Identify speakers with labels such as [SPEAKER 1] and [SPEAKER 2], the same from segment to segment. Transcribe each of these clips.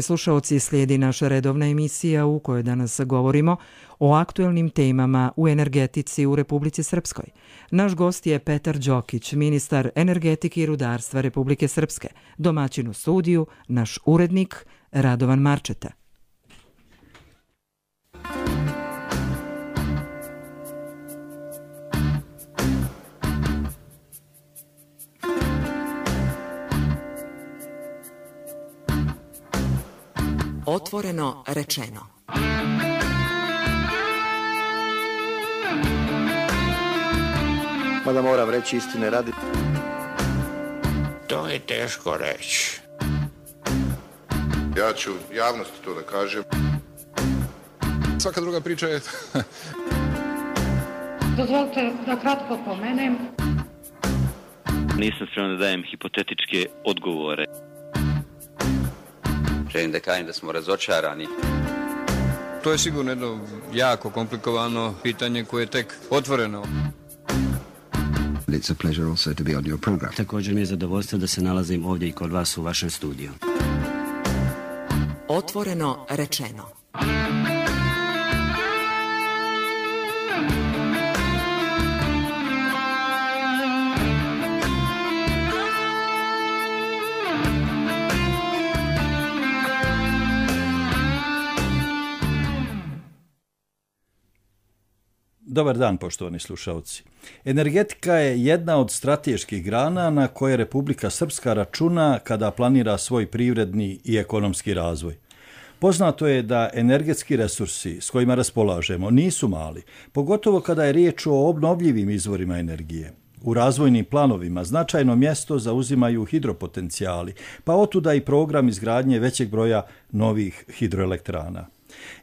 [SPEAKER 1] Slušaoci, slijedi naša redovna emisija u kojoj danas govorimo o aktuelnim temama u energetici u Republici Srpskoj. Naš gost je Petar Đokić, ministar energetike i rudarstva Republike Srpske, domaćin u studiju, naš urednik Radovan Marčeta. Otvoreno rečeno.
[SPEAKER 2] Mada moram reći istine radi.
[SPEAKER 3] To je teško reći.
[SPEAKER 4] Ja ću javnosti to da kažem.
[SPEAKER 5] Svaka druga priča je...
[SPEAKER 6] Dozvolite da kratko pomenem.
[SPEAKER 7] Nisam spreman da dajem hipotetičke odgovore.
[SPEAKER 8] Želim da kažem da smo razočarani.
[SPEAKER 5] To je sigurno jedno jako komplikovano pitanje koje je tek otvoreno.
[SPEAKER 9] It's a pleasure also to be on your program.
[SPEAKER 10] Također mi je zadovoljstvo da se nalazim ovdje i kod vas u vašem studiju.
[SPEAKER 1] Otvoreno rečeno.
[SPEAKER 11] Dobar dan, poštovani slušalci. Energetika je jedna od strateških grana na koje Republika Srpska računa kada planira svoj privredni i ekonomski razvoj. Poznato je da energetski resursi s kojima raspolažemo nisu mali, pogotovo kada je riječ o obnovljivim izvorima energije. U razvojnim planovima značajno mjesto zauzimaju hidropotencijali, pa otuda i program izgradnje većeg broja novih hidroelektrana.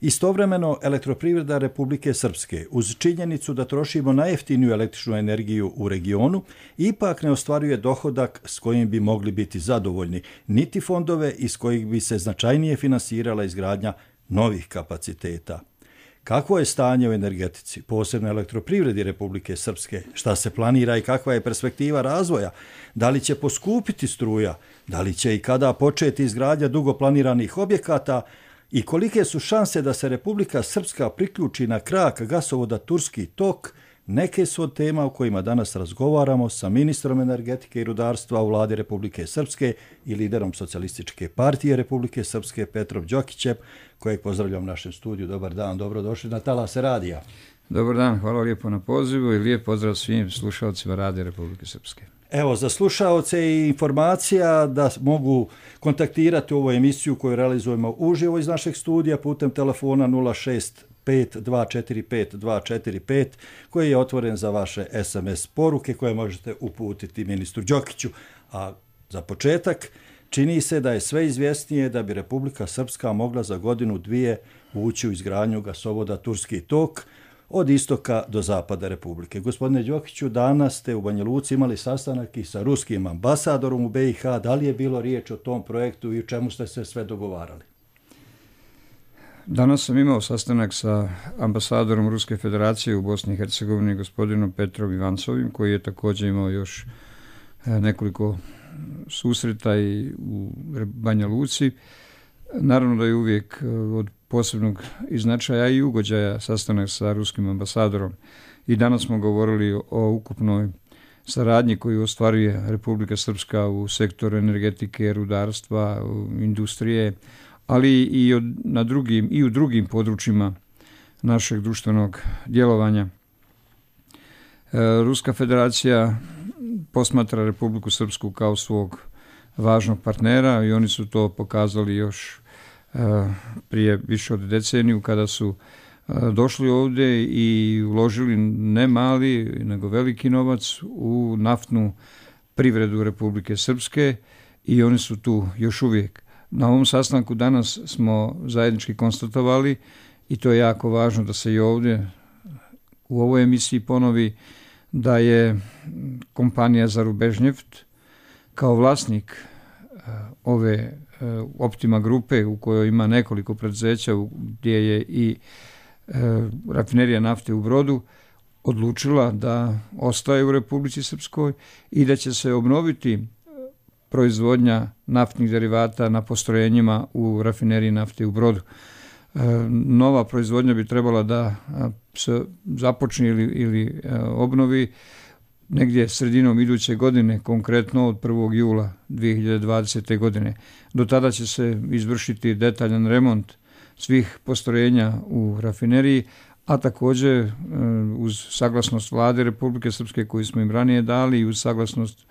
[SPEAKER 11] Istovremeno, Elektroprivreda Republike Srpske, uz činjenicu da trošimo najjeftiniju električnu energiju u regionu, ipak ne ostvaruje dohodak s kojim bi mogli biti zadovoljni, niti fondove iz kojih bi se značajnije finansirala izgradnja novih kapaciteta. Kakvo je stanje u energetici, posebno Elektroprivredi Republike Srpske, šta se planira i kakva je perspektiva razvoja, da li će poskupiti struja, da li će i kada početi izgradnja dugo planiranih objekata, i kolike su šanse da se Republika Srpska priključi na krak gasovoda Turski tok, neke su od tema o kojima danas razgovaramo sa ministrom energetike i rudarstva u vladi Republike Srpske i liderom Socijalističke partije Republike Srpske Petrom Đokićem, kojeg pozdravljam u našem studiju. Dobar dan, dobrodošli na Talase radija.
[SPEAKER 12] Dobar dan, hvala lijepo na pozivu i lijep pozdrav svim slušalcima Radija Republike Srpske.
[SPEAKER 11] Evo, za slušaoce i informacija da mogu kontaktirati ovu emisiju koju realizujemo uživo iz našeg studija putem telefona 065-245-245 koji je otvoren za vaše SMS poruke koje možete uputiti ministru Đokiću. A za početak, čini se da je sve izvjesnije da bi Republika Srpska mogla za godinu dvije ući u izgradnju gasovoda Turski tok od istoka do zapada Republike. Gospodine Đokiću, danas ste u Banja Luci imali sastanak i sa ruskim ambasadorom u BiH. Da li je bilo riječ o tom projektu i u čemu ste se sve dogovarali?
[SPEAKER 12] Danas sam imao sastanak sa ambasadorom Ruske federacije u Bosni i Hercegovini, gospodinom Petrom Ivancovim, koji je također imao još nekoliko susreta i u Banja Luci. Naravno da je uvijek od posebnog značaja i ugođaja sastanak sa ruskim ambasadorom. I danas smo govorili o ukupnoj saradnji koju ostvaruje Republika Srpska u sektoru energetike, rudarstva, industrije, ali i u drugim područjima našeg društvenog djelovanja. Ruska federacija posmatra Republiku Srpsku kao svog važnog partnera i oni su to pokazali još prije više od deceniju kada su došli ovdje i uložili ne mali nego veliki novac u naftnu privredu Republike Srpske i oni su tu još uvijek. Na ovom sastanku danas smo zajednički konstatovali i to je jako važno da se i ovdje u ovoj emisiji ponovi da je kompanija Zarubežnjeft kao vlasnik ove Optima grupe u kojoj ima nekoliko preduzeća gdje je i rafinerija nafte u Brodu odlučila da ostaje u Republici Srpskoj i da će se obnoviti proizvodnja naftnih derivata na postrojenjima u rafineriji nafte u Brodu. Nova proizvodnja bi trebala da se započne ili obnovi negdje sredinom iduće godine, konkretno od 1. jula 2020. godine. Do tada će se izvršiti detaljan remont svih postrojenja u rafineriji, a također uz saglasnost Vlade Republike Srpske koju smo im ranije dali i uz saglasnost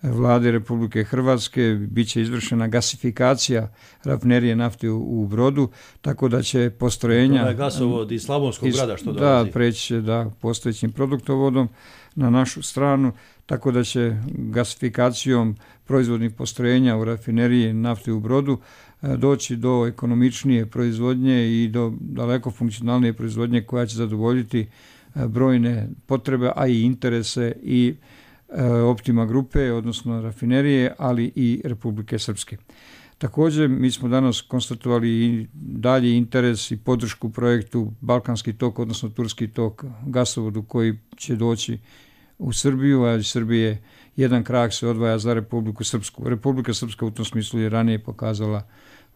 [SPEAKER 12] Vlade Republike Hrvatske bit će izvršena gasifikacija rafinerije nafte u Brodu, tako da će postrojenja... To je
[SPEAKER 11] gasovod iz Slavonskog Brada što dolazi.
[SPEAKER 12] Da, preći postojećim produktovodom na našu stranu, tako da će gasifikacijom proizvodnih postrojenja u rafineriji nafte u Brodu doći do ekonomičnije proizvodnje i do daleko funkcionalnije proizvodnje koja će zadovoljiti brojne potrebe, a i interese i Optima grupe, odnosno rafinerije, ali i Republike Srpske. Također, mi smo danas konstatovali i dalji interes i podršku projektu Balkanski tok, odnosno Turski tok, gasovodu koji će doći u Srbiju, a iz Srbije jedan krak se odvaja za Republiku Srpsku. Republika Srpska u tom smislu je ranije pokazala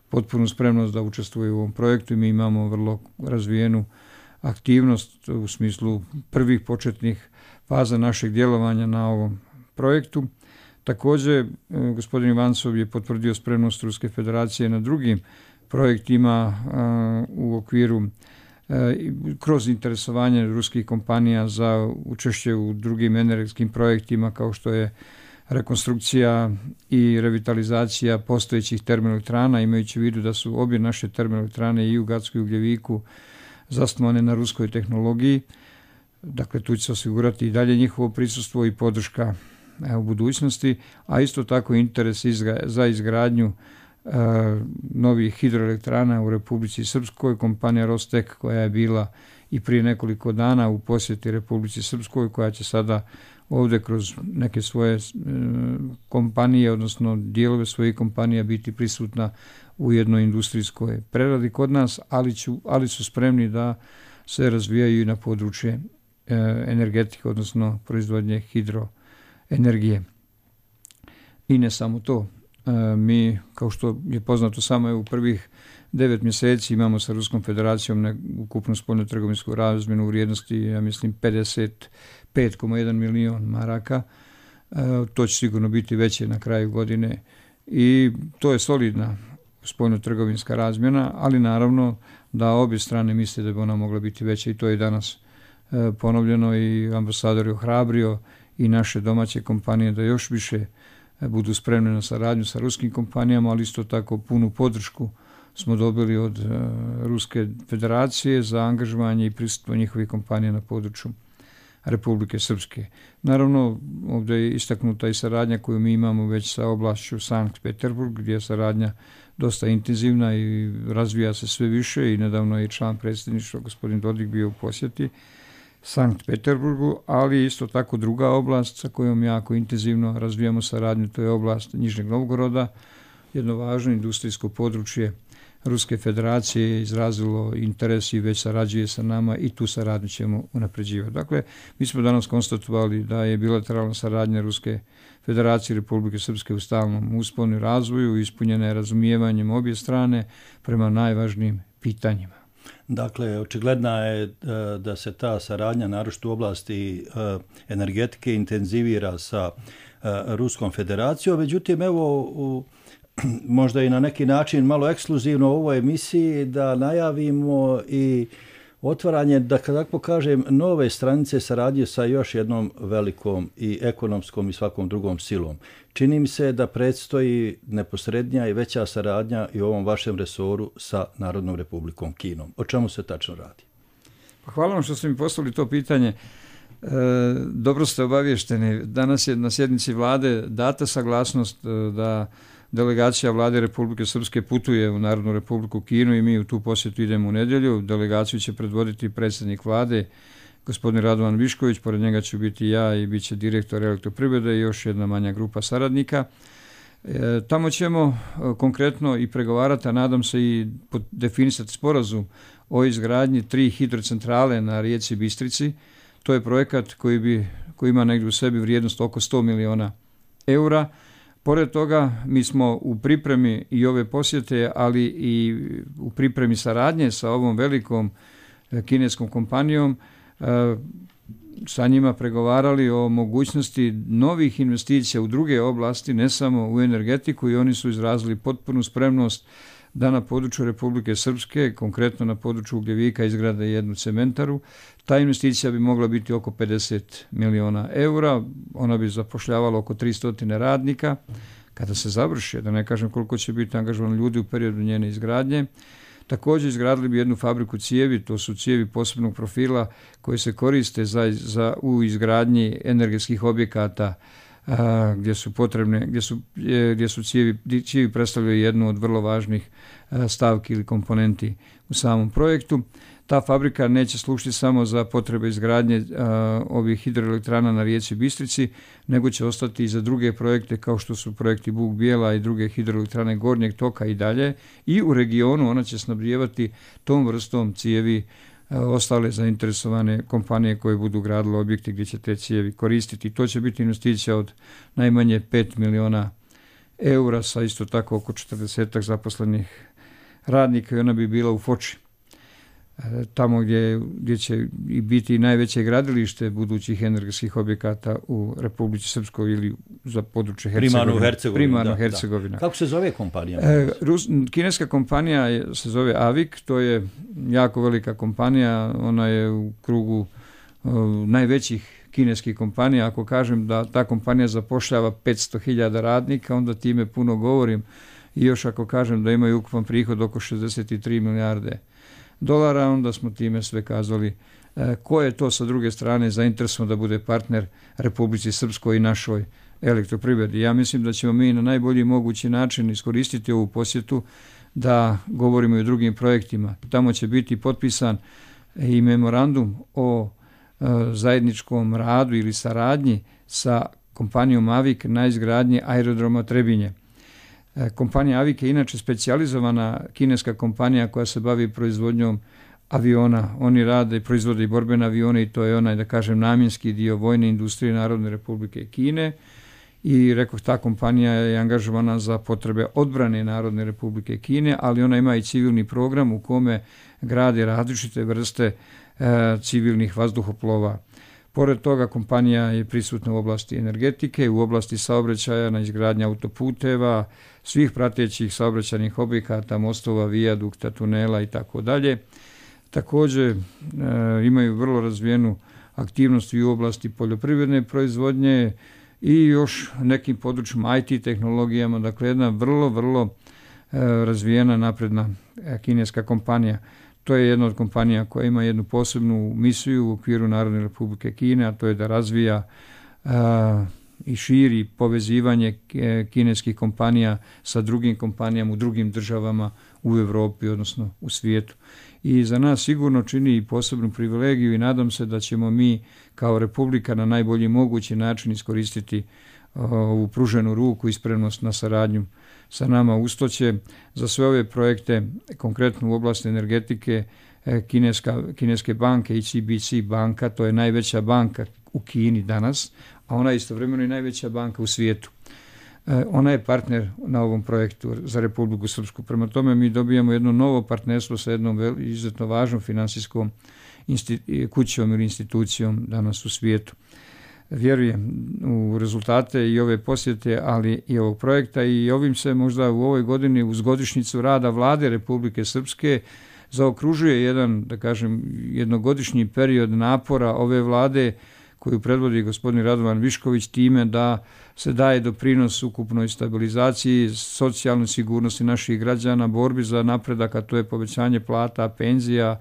[SPEAKER 12] potpunu spremnost da učestvuje u ovom projektu i mi imamo vrlo razvijenu aktivnost u smislu prvih početnih faza našeg djelovanja na ovom projektu. Također, gospodin Ivancov je potvrdio spremnost Ruske federacije na drugim projektima u okviru kroz interesovanje ruskih kompanija za učešće u drugim energetskim projektima kao što je rekonstrukcija i revitalizacija postojećih termoelektrana, imajući u vidu da su obje naše termoelektrane i u Gacku i Ugljeviku zasnovane na ruskoj tehnologiji. Dakle, tu će se osigurati i dalje njihovo prisustvo i podrška u budućnosti, a isto tako interes za izgradnju novih hidroelektrana u Republici Srpskoj, kompanija Rostek koja je bila i prije nekoliko dana u posjeti Republici Srpskoj, koja će sada ovdje kroz neke svoje kompanije, odnosno dijelove svojih kompanija biti prisutna u jednoj industrijskoj preradi kod nas, ali su spremni da se razvijaju i na područje energetike, odnosno proizvodnje hidroenergije. I ne samo to. Mi, kao što je poznato, samo u prvih 9 mjeseci imamo sa Ruskom federacijom ukupnu spoljno-trgovinsku razmjenu u vrijednosti, ja mislim, 55,1 milion maraka. To će sigurno biti veće na kraju godine i to je solidna spoljno-trgovinska razmjena, ali naravno da obje strane misle da bi ona mogla biti veća i to je danas ponovljeno i ambasador je ohrabrio i naše domaće kompanije da još više budu spremne na saradnju sa ruskim kompanijama, ali isto tako punu podršku smo dobili od Ruske federacije za angažovanje i prisustvo njihovih kompanija na području Republike Srpske. Naravno, ovdje je istaknuta i saradnja koju mi imamo već sa oblašću Sankt Peterburg, gdje je saradnja dosta intenzivna i razvija se sve više i nedavno je i član predsjedništva gospodin Dodik bio u posjeti Sankt Peterburgu, ali isto tako druga oblast sa kojom jako intenzivno razvijamo saradnju, to je oblast Nižnjeg Novgoroda, jedno važno industrijsko područje Ruske federacije je izrazilo interes i već sarađuje sa nama i tu saradnju ćemo unapređivati. Dakle, mi smo danas konstatovali da je bilateralna saradnja Ruske federacije i Republike Srpske u stalnom usponu i razvoju, ispunjena je razumijevanjem obje strane prema najvažnijim pitanjima.
[SPEAKER 11] Dakle, očigledna je da se ta saradnja, naročito u oblasti energetike, intenzivira sa Ruskom federacijom. Međutim, evo, možda i na neki način malo ekskluzivno u ovoj emisiji da najavimo i otvaranje, da tako kažem, nove stranice saradnje sa još jednom velikom i ekonomskom i svakom drugom silom. Čini mi se da predstoji neposrednija i veća saradnja i u ovom vašem resoru sa Narodnom Republikom Kinom. O čemu se tačno radi?
[SPEAKER 12] Hvala vam što ste mi postavili to pitanje. Dobro ste obavješteni. Danas je na sjednici vlade data saglasnost da delegacija vlade Republike Srpske putuje u Narodnu Republiku Kinu i mi u tu posjetu idemo u nedjelju. Delegaciju će predvoditi predsjednik vlade, gospodin Radovan Višković, pored njega ću biti ja i bit će direktor Elektroprivrede i još jedna manja grupa saradnika. Tamo ćemo konkretno i pregovarati, a nadam se i definisati sporazum o izgradnji 3 hidrocentrale na rijeci Bistrici. To je projekat koji ima negdje u sebi vrijednost oko 100 miliona eura. Pored toga, mi smo u pripremi i ove posjete, ali i u pripremi saradnje sa ovom velikom kineskom kompanijom, sa njima pregovarali o mogućnosti novih investicija u druge oblasti, ne samo u energetiku, i oni su izrazili potpunu spremnost da na području Republike Srpske, konkretno na području Ugljevika, izgrade jednu cementaru. Ta investicija bi mogla biti oko 50 miliona eura, ona bi zapošljavala oko 300 radnika. Kada se završi, da ne kažem koliko će biti angažovano ljudi u periodu njene izgradnje. Također izgradili bi jednu fabriku cijevi, to su cijevi posebnog profila koje se koriste u izgradnji energetskih objekata, gdje su potrebne, gdje su cijevi predstavljaju jednu od vrlo važnih stavki ili komponenti u samom projektu. Ta fabrika neće služiti samo za potrebe izgradnje ovih hidroelektrana na rijeci Bistrici, nego će ostati i za druge projekte kao što su projekti Buk Bijela i druge hidroelektrane gornjeg toka i dalje. I u regionu ona će snabdijevati tom vrstom cijevi ostale zainteresovane kompanije koje budu gradile objekte gdje će te cijevi koristiti. To će biti investicija od najmanje 5 miliona eura sa isto tako oko 40 zaposlenih radnika i ona bi bila u Foči, tamo gdje će i biti najveće gradilište budućih energetskih objekata u Republici Srpskoj ili za područje Primarno Hercegovina.
[SPEAKER 11] Kako se zove kompanija?
[SPEAKER 12] Kineska kompanija se zove AVIK, to je jako velika kompanija, ona je u krugu najvećih kineskih kompanija. Ako kažem da ta kompanija zapošljava 500.000 radnika, onda time puno govorim, i još ako kažem da imaju ukupan prihod oko 63 milijarde dolara, onda smo time sve kazali ko je to sa druge strane zainteresovan da bude partner Republici Srpskoj i našoj elektroprivredi. Ja mislim da ćemo mi na najbolji mogući način iskoristiti ovu posjetu da govorimo i o drugim projektima. Tamo će biti potpisan i memorandum o zajedničkom radu ili saradnji sa kompanijom AVIK na izgradnji aerodroma Trebinje. Kompanija AVIK je inače specijalizovana kineska kompanija koja se bavi proizvodnjom aviona. Oni rade i proizvode i borbene avione i to je onaj, da kažem, namjenski dio vojne industrije Narodne Republike Kine. I rekoh, ta kompanija je angažovana za potrebe odbrane Narodne Republike Kine, ali ona ima i civilni program u kome grade različite vrste civilnih vazduhoplova. Pored toga, kompanija je prisutna u oblasti energetike, u oblasti saobraćaja, na izgradnji autoputeva, svih pratećih saobraćajnih objekata, mostova, vijadukta, tunela i tako dalje. Također imaju vrlo razvijenu aktivnost i u oblasti poljoprivredne proizvodnje i još nekim područjima IT tehnologijama, dakle jedna vrlo razvijena napredna kineska kompanija. To je jedna od kompanija koja ima jednu posebnu misiju u okviru Narodne Republike Kine, a to je da razvija i širi povezivanje kineskih kompanija sa drugim kompanijama u drugim državama u Europi, odnosno u svijetu. I za nas sigurno čini i posebnu privilegiju i nadam se da ćemo mi kao Republika na najbolji mogući način iskoristiti ovu pruženu ruku i spremnost na saradnju sa nama. Usto će za sve ove projekte, konkretno u oblasti energetike, kineske banke i CBC banka, to je najveća banka u Kini danas, a ona je istovremeno i najveća banka u svijetu. Ona je partner na ovom projektu za Republiku Srpsku. Prema tome mi dobijamo jedno novo partnerstvo sa jednom izuzetno važnom finansijskom kućom ili institucijom danas u svijetu. Vjerujem u rezultate i ove posjete, ali i ovog projekta, i ovim se možda u ovoj godini uz godišnjicu rada Vlade Republike Srpske zaokružuje jedan, da kažem, jednogodišnji period napora ove Vlade koju predvodi gospodin Radovan Višković time da se daje doprinos ukupnoj stabilizaciji, socijalnoj sigurnosti naših građana, borbi za napredak, a to je povećanje plata, penzija,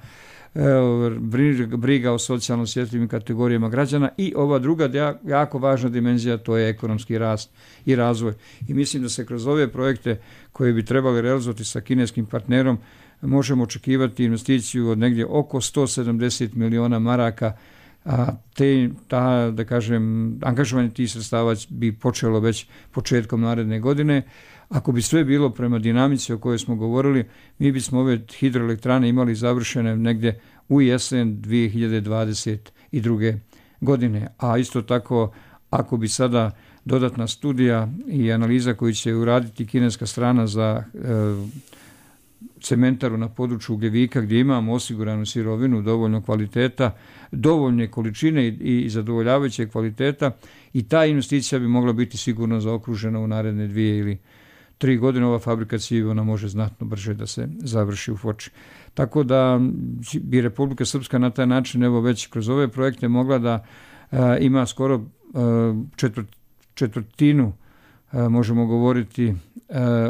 [SPEAKER 12] briga o socijalno osjetljivim kategorijama građana i ova druga jako važna dimenzija, to je ekonomski rast i razvoj. I mislim da se kroz ove projekte koje bi trebali realizovati sa kineskim partnerom možemo očekivati investiciju od negdje oko 170 miliona maraka, a da kažem, angažovanje tih sredstava bi počelo već početkom naredne godine. Ako bi sve bilo prema dinamici o kojoj smo govorili, mi bismo ove hidroelektrane imali završene negdje u jesen 2022. godine. A isto tako, ako bi sada dodatna studija i analiza koju će uraditi kineska strana za cementaru na području Ugljevika gdje imamo osiguranu sirovinu dovoljno kvaliteta, dovoljne količine i zadovoljavajuće kvaliteta i ta investicija bi mogla biti sigurno zaokružena u naredne 2 ili 3 godine. Ova fabrika cijevi ona može znatno brže da se završi u Foči. Tako da bi Republika Srpska na taj način evo već kroz ove projekte mogla da ima skoro četvrtinu možemo govoriti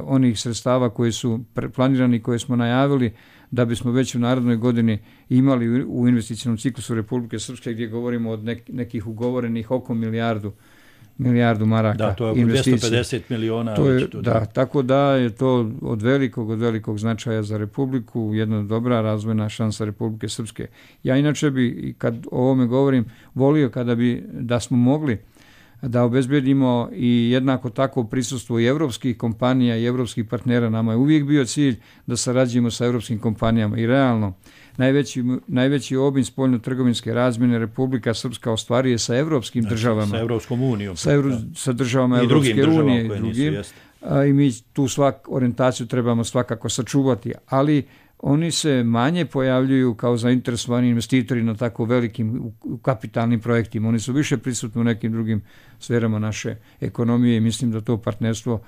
[SPEAKER 12] onih sredstava koji su planirani, koje smo najavili da bismo već u narednoj godini imali u investicionom ciklusu Republike Srpske gdje govorimo od nekih ugovorenih oko milijardu maraka.
[SPEAKER 11] Da, to je oko 250 miliona.
[SPEAKER 12] Tako da je to od velikog značaja za Republiku, jedna dobra razvojna šansa Republike Srpske. Ja inače bi, kad o ovome govorim, volio da smo mogli da obezbedimo i jednako tako prisustvo i evropskih kompanija i evropskih partnera. Nama je uvijek bio cilj da sarađujemo sa evropskim kompanijama i realno najveći obim spoljno-trgovinske razmjene Republika Srpska ostvaruje sa evropskim državama.
[SPEAKER 11] Sa Evropskom unijom.
[SPEAKER 12] Sa državama Evropske unije i drugim. I mi tu orijentaciju trebamo svakako sačuvati, ali oni se manje pojavljuju kao zainteresovani investitori na tako velikim kapitalnim projektima. Oni su više prisutni u nekim drugim sferama naše ekonomije i mislim da to partnerstvo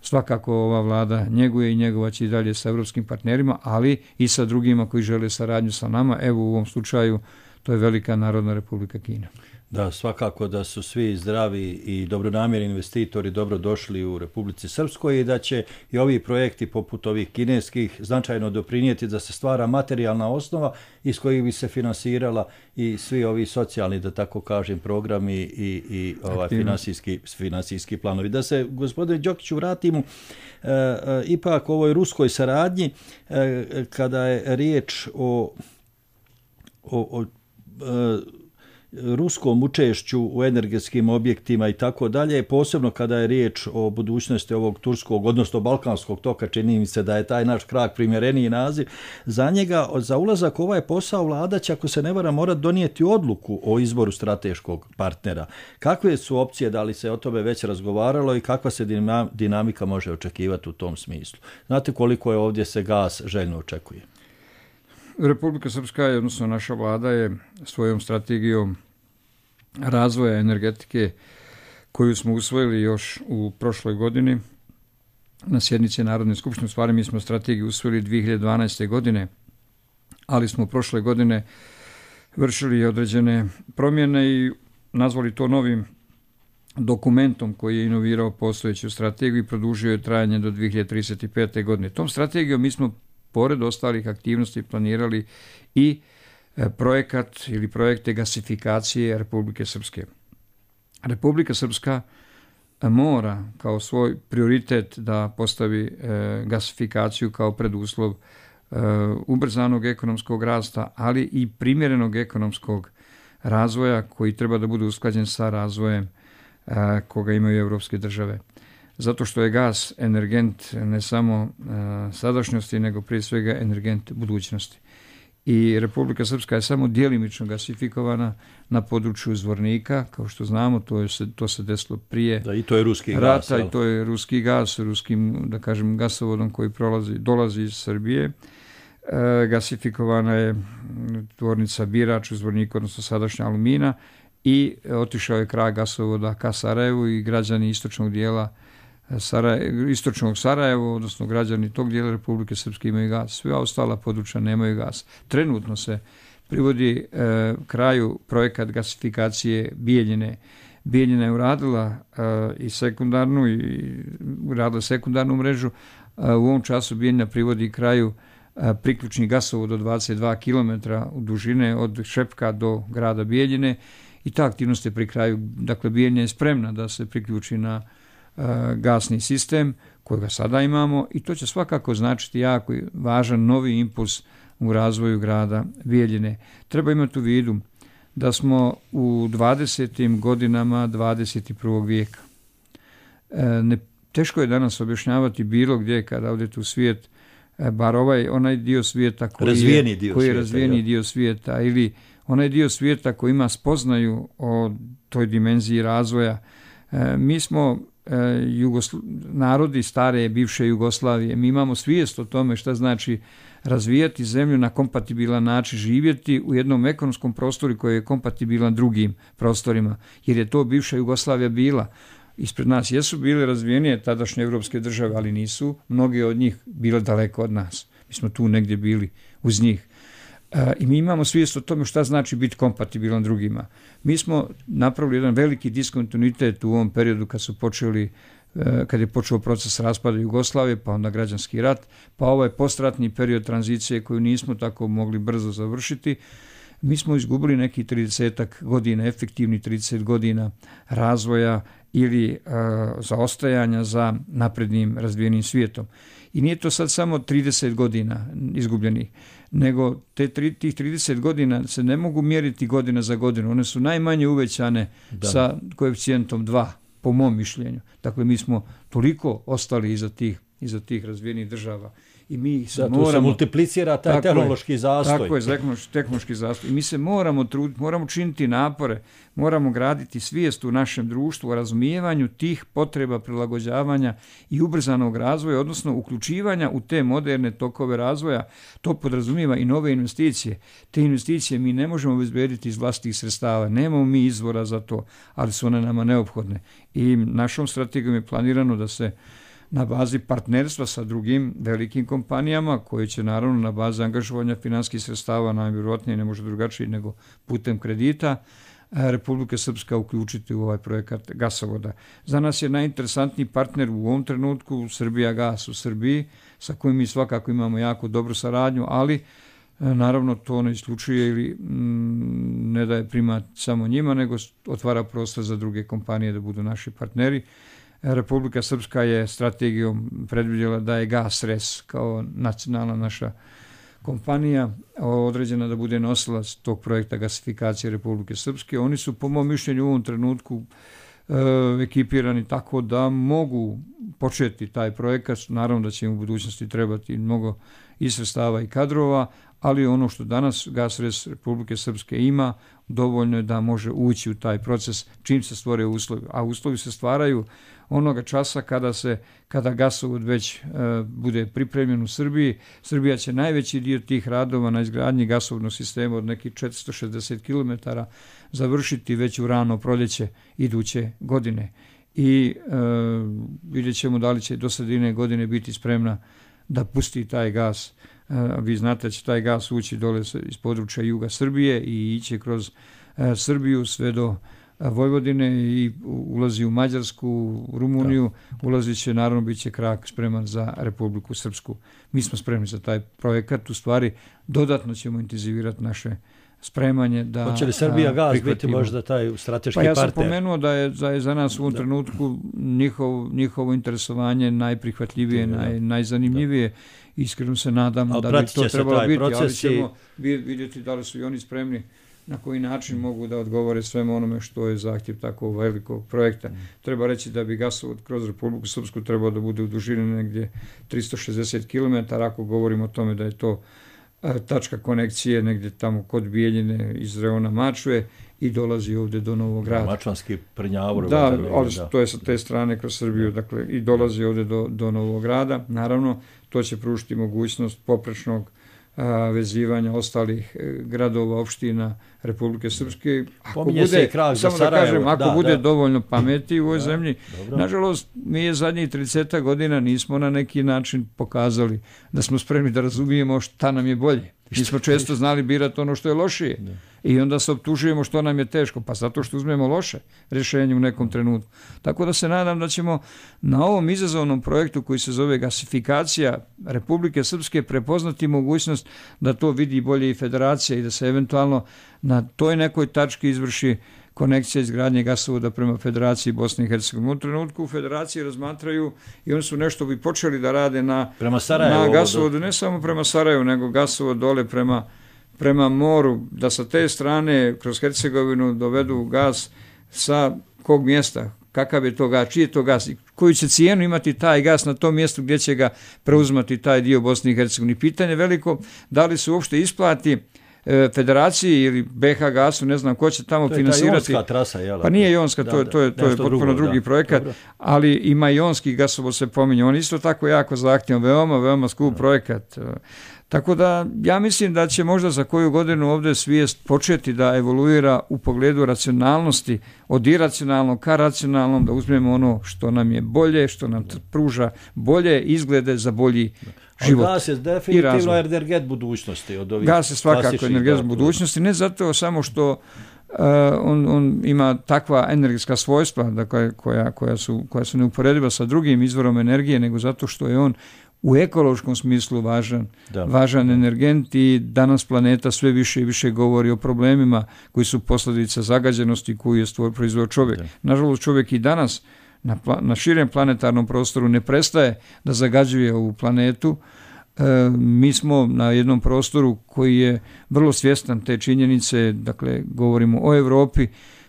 [SPEAKER 12] svakako ova vlada njeguje i njegovaće i dalje sa evropskim partnerima, ali i sa drugima koji žele saradnju sa nama. Evo u ovom slučaju to je Velika Narodna Republika Kina.
[SPEAKER 11] Da, svakako da su svi zdravi i dobronamjerni investitori dobro došli u Republici Srpskoj i da će i ovi projekti poput ovih kineskih značajno doprinijeti da se stvara materijalna osnova iz kojih bi se finansirala i svi ovi socijalni, da tako kažem, programi i finansijski planovi. Da se, gospodine Đokiću, vratimo ipak ovoj ruskoj saradnji kada je riječ o ruskom učešću u energetskim objektima i tako dalje, posebno kada je riječ o budućnosti ovog turskog, odnosno balkanskog toka, čini mi se da je taj naš krak primjereniji naziv za njega. Za ulazak u ovaj posao vlada će, ako se ne varam, morati donijeti odluku o izboru strateškog partnera. Kakve su opcije, da li se o tome već razgovaralo i kakva se dinamika može očekivati u tom smislu? Znate koliko je ovdje se gas željno očekuje?
[SPEAKER 12] Republika Srpska, odnosno naša vlada, je svojom strategijom razvoja energetike koju smo usvojili još u prošloj godini na sjednici Narodne skupštine. U stvari mi smo strategiju usvojili 2012. godine, ali smo prošle godine vršili određene promjene i nazvali to novim dokumentom koji je inovirao postojeću strategiju i produžio je trajanje do 2035. godine. Tom strategijom mi smo pored ostalih aktivnosti planirali i projekat ili projekte gasifikacije Republike Srpske. Republika Srpska mora kao svoj prioritet da postavi gasifikaciju kao preduslov ubrzanog ekonomskog rasta, ali i primjerenog ekonomskog razvoja koji treba da bude usklađen sa razvojem koga imaju evropske države. Zato što je gas energent ne samo sadašnjosti, nego prije svega energent budućnosti. I Republika Srpska je samo djelimično gasifikovana na području Zvornika, kao što znamo, to se desilo prije
[SPEAKER 11] i to je ruski
[SPEAKER 12] rata,
[SPEAKER 11] gas,
[SPEAKER 12] i to je ruski gas, ruskim, da kažem, gasovodom koji dolazi iz Srbije. Gasifikovana je tvornica Birač u Zvorniku, odnosno sadašnja Alumina, i otišao je kraj gasovoda ka Sarajevu i građani istočnog dijela istočnog Sarajeva, odnosno građani tog dijela Republike Srpske imaju gas. Sve ostala područja nemaju gas. Trenutno se privodi kraju projekat gasifikacije Bijeljine. Bijeljina je uradila i sekundarnu mrežu. U ovom času Bijeljina privodi kraju priključni gasovod do 22 km u dužine od Šepka do grada Bijeljine i ta aktivnost je pri kraju. Dakle, Bijeljina je spremna da se priključi na gasni sistem kojega sada imamo i to će svakako značiti jako važan novi impuls u razvoju grada Bijeljine. Treba imati u vidu da smo u 20. godinama 21. vijeka. Teško je danas objašnjavati bilo gdje kada odete u svijet, bar onaj dio svijeta koji je razvijeni dio svijeta ili onaj dio svijeta koji ima spoznaju o toj dimenziji razvoja Mi smo narodi stare bivše Jugoslavije, mi imamo svijest o tome šta znači razvijati zemlju na kompatibilan način, živjeti u jednom ekonomskom prostoru koji je kompatibilan drugim prostorima, jer je to bivša Jugoslavija bila. Ispred nas jesu bile razvijenije tadašnje evropske države, ali nisu mnoge od njih bile daleko od nas. Mi smo tu negdje bili uz njih. I mi imamo svijest o tome šta znači biti kompatibilan drugima. Mi smo napravili jedan veliki diskontinuitet u ovom periodu kad je počeo proces raspada Jugoslavije, pa onda građanski rat, pa ovaj postratni period tranzicije koju nismo tako mogli brzo završiti. Mi smo izgubili neki 30 godina, efektivni 30 godina razvoja ili zaostajanja za naprednim razvijenim svijetom. I nije to sad samo 30 godina izgubljenih, nego tih 30 godina se ne mogu mjeriti godina za godinu. One su najmanje uvećane sa koeficijentom 2, po mom mišljenju. Dakle, mi smo toliko ostali iza tih razvijenih država. I mi se moramo...
[SPEAKER 11] se multiplicira taj tehnološki zastoj.
[SPEAKER 12] Tako je, tehnološki zastoj. I mi se moramo truditi, moramo činiti napore, moramo graditi svijest u našem društvu o razumijevanju tih potreba prilagođavanja i ubrzanog razvoja, odnosno uključivanja u te moderne tokove razvoja. To podrazumijeva i nove investicije. Te investicije mi ne možemo obezbediti iz vlastitih sredstava. Nemamo mi izvora za to, ali su one nama neophodne. I našom strategijom je planirano da se na bazi partnerstva sa drugim velikim kompanijama, koje će naravno na bazi angažovanja financijskih sredstava, najvjerojatnije ne može drugačije nego putem kredita, Republika Srpska uključiti u ovaj projekat gasovoda. Za nas je najinteresantniji partner u ovom trenutku Srbijagas u Srbiji, sa kojim mi svakako imamo jako dobru saradnju, ali naravno to ne isključuje ili ne daje primat samo njima, nego otvara prostor za druge kompanije da budu naši partneri. Republika Srpska je strategijom predvidjela da je GasRes kao nacionalna naša kompanija određena da bude nosilac tog projekta gasifikacije Republike Srpske. Oni su po mom mišljenju u ovom trenutku ekipirani tako da mogu početi taj projekat. Naravno da će im u budućnosti trebati mnogo i sredstava i kadrova, ali ono što danas GasRes Republike Srpske ima dovoljno je da može ući u taj proces čim se stvore uslovi. A uslovi se stvaraju onoga časa kada gasovod već bude pripremljen u Srbiji. Srbija će najveći dio tih radova na izgradnji gasovodnog sistema od nekih 460 km završiti već u rano proljeće iduće godine. I vidjet ćemo da li će do sredine godine biti spremna da pusti taj gas. Vi znate da će taj gas ući dole iz područja juga Srbije i ići kroz Srbiju sve do Vojvodine i ulazi u Mađarsku, u Rumuniju, ulazit će, naravno bit će krak spreman za Republiku Srpsku. Mi smo spremni za taj projekat, u stvari dodatno ćemo intenzivirati naše spremanje da prihvatimo. Hoće li
[SPEAKER 11] Srbijagas biti možda taj strateški partner?
[SPEAKER 12] Pa ja sam pomenuo da je za nas u ovom trenutku njihovo interesovanje najprihvatljivije, najzanimljivije. Iskreno se nadam da bi to trebalo biti, ali ćemo vidjeti da li su i oni spremni, na koji način mogu da odgovore svemu onome što je zahtjev takvog velikog projekta. Treba reći da bi gasovod kroz Republiku Srpsku trebao da bude u dužini negdje 360 km, ako govorimo o tome da je to tačka konekcije negdje tamo kod Bijeljine iz reona Mačve i dolazi ovdje do Novog Grada.
[SPEAKER 11] Mačvanski Prnjavor.
[SPEAKER 12] Da, ali to je sa te strane kroz Srbiju, dakle, i dolazi ovdje do Novog Grada. Naravno, to će pružiti mogućnost poprečnog vezivanja ostalih gradova, opština Republike Srpske. Ako bude, samo da kažem, ako bude dovoljno pameti u ovoj zemlji. Dobro. Nažalost, mi je zadnjih 30 godina nismo na neki način pokazali da smo spremni da razumijemo šta nam je bolje. Mi smo često znali birati ono što je lošije. I onda se optužujemo što nam je teško, pa zato što uzmemo loše rješenje u nekom trenutku. Tako da se nadam da ćemo na ovom izazovnom projektu koji se zove gasifikacija Republike Srpske prepoznati mogućnost da to vidi bolje i federacija i da se eventualno na toj nekoj tački izvrši konekcija izgradnje gasovoda prema Federaciji Bosne i Hercegovine. U trenutku u Federaciji razmatraju i oni su nešto bi počeli da rade na gasovodu, ne samo prema Sarajevu, nego gasovod dole prema moru, da sa te strane kroz Hercegovinu dovedu gas sa kog mjesta, kakav je to gas, čiji je to gas i koju će cijenu imati taj gas na tom mjestu gdje će ga preuzmati taj dio Bosne i Hercegovine. Pitanje veliko, da li se uopšte isplati Federaciji ili BH Gasu, ne znam ko će tamo finansirati.
[SPEAKER 11] To je ta jonska trasa, jel?
[SPEAKER 12] Pa nije jonska, to je potpuno drugi projekat, ali ima jonski gasovod se pominje. On isto tako jako zahtjevan, veoma skup projekat. Tako da ja mislim da će možda za koju godinu ovdje svijest početi da evoluira u pogledu racionalnosti, od iracionalnog ka racionalnom, da uzmemo ono što nam je bolje, što nam pruža bolje izglede za bolji život.
[SPEAKER 11] Gas je definitivno energet budućnosti.
[SPEAKER 12] Gas je svakako energet budućnosti, ne zato samo što on ima takva energetska svojstva, dakle, koja su neuporediva sa drugim izvorom energije, nego zato što je on u ekološkom smislu važan energent i danas planeta sve više i više govori o problemima koji su posljedica zagađenosti koju je proizveo čovjek. Nažalost, čovjek i danas na širem planetarnom prostoru ne prestaje da zagađuje ovu planetu. Mi smo na jednom prostoru koji je vrlo svjestan te činjenice, dakle govorimo o Europi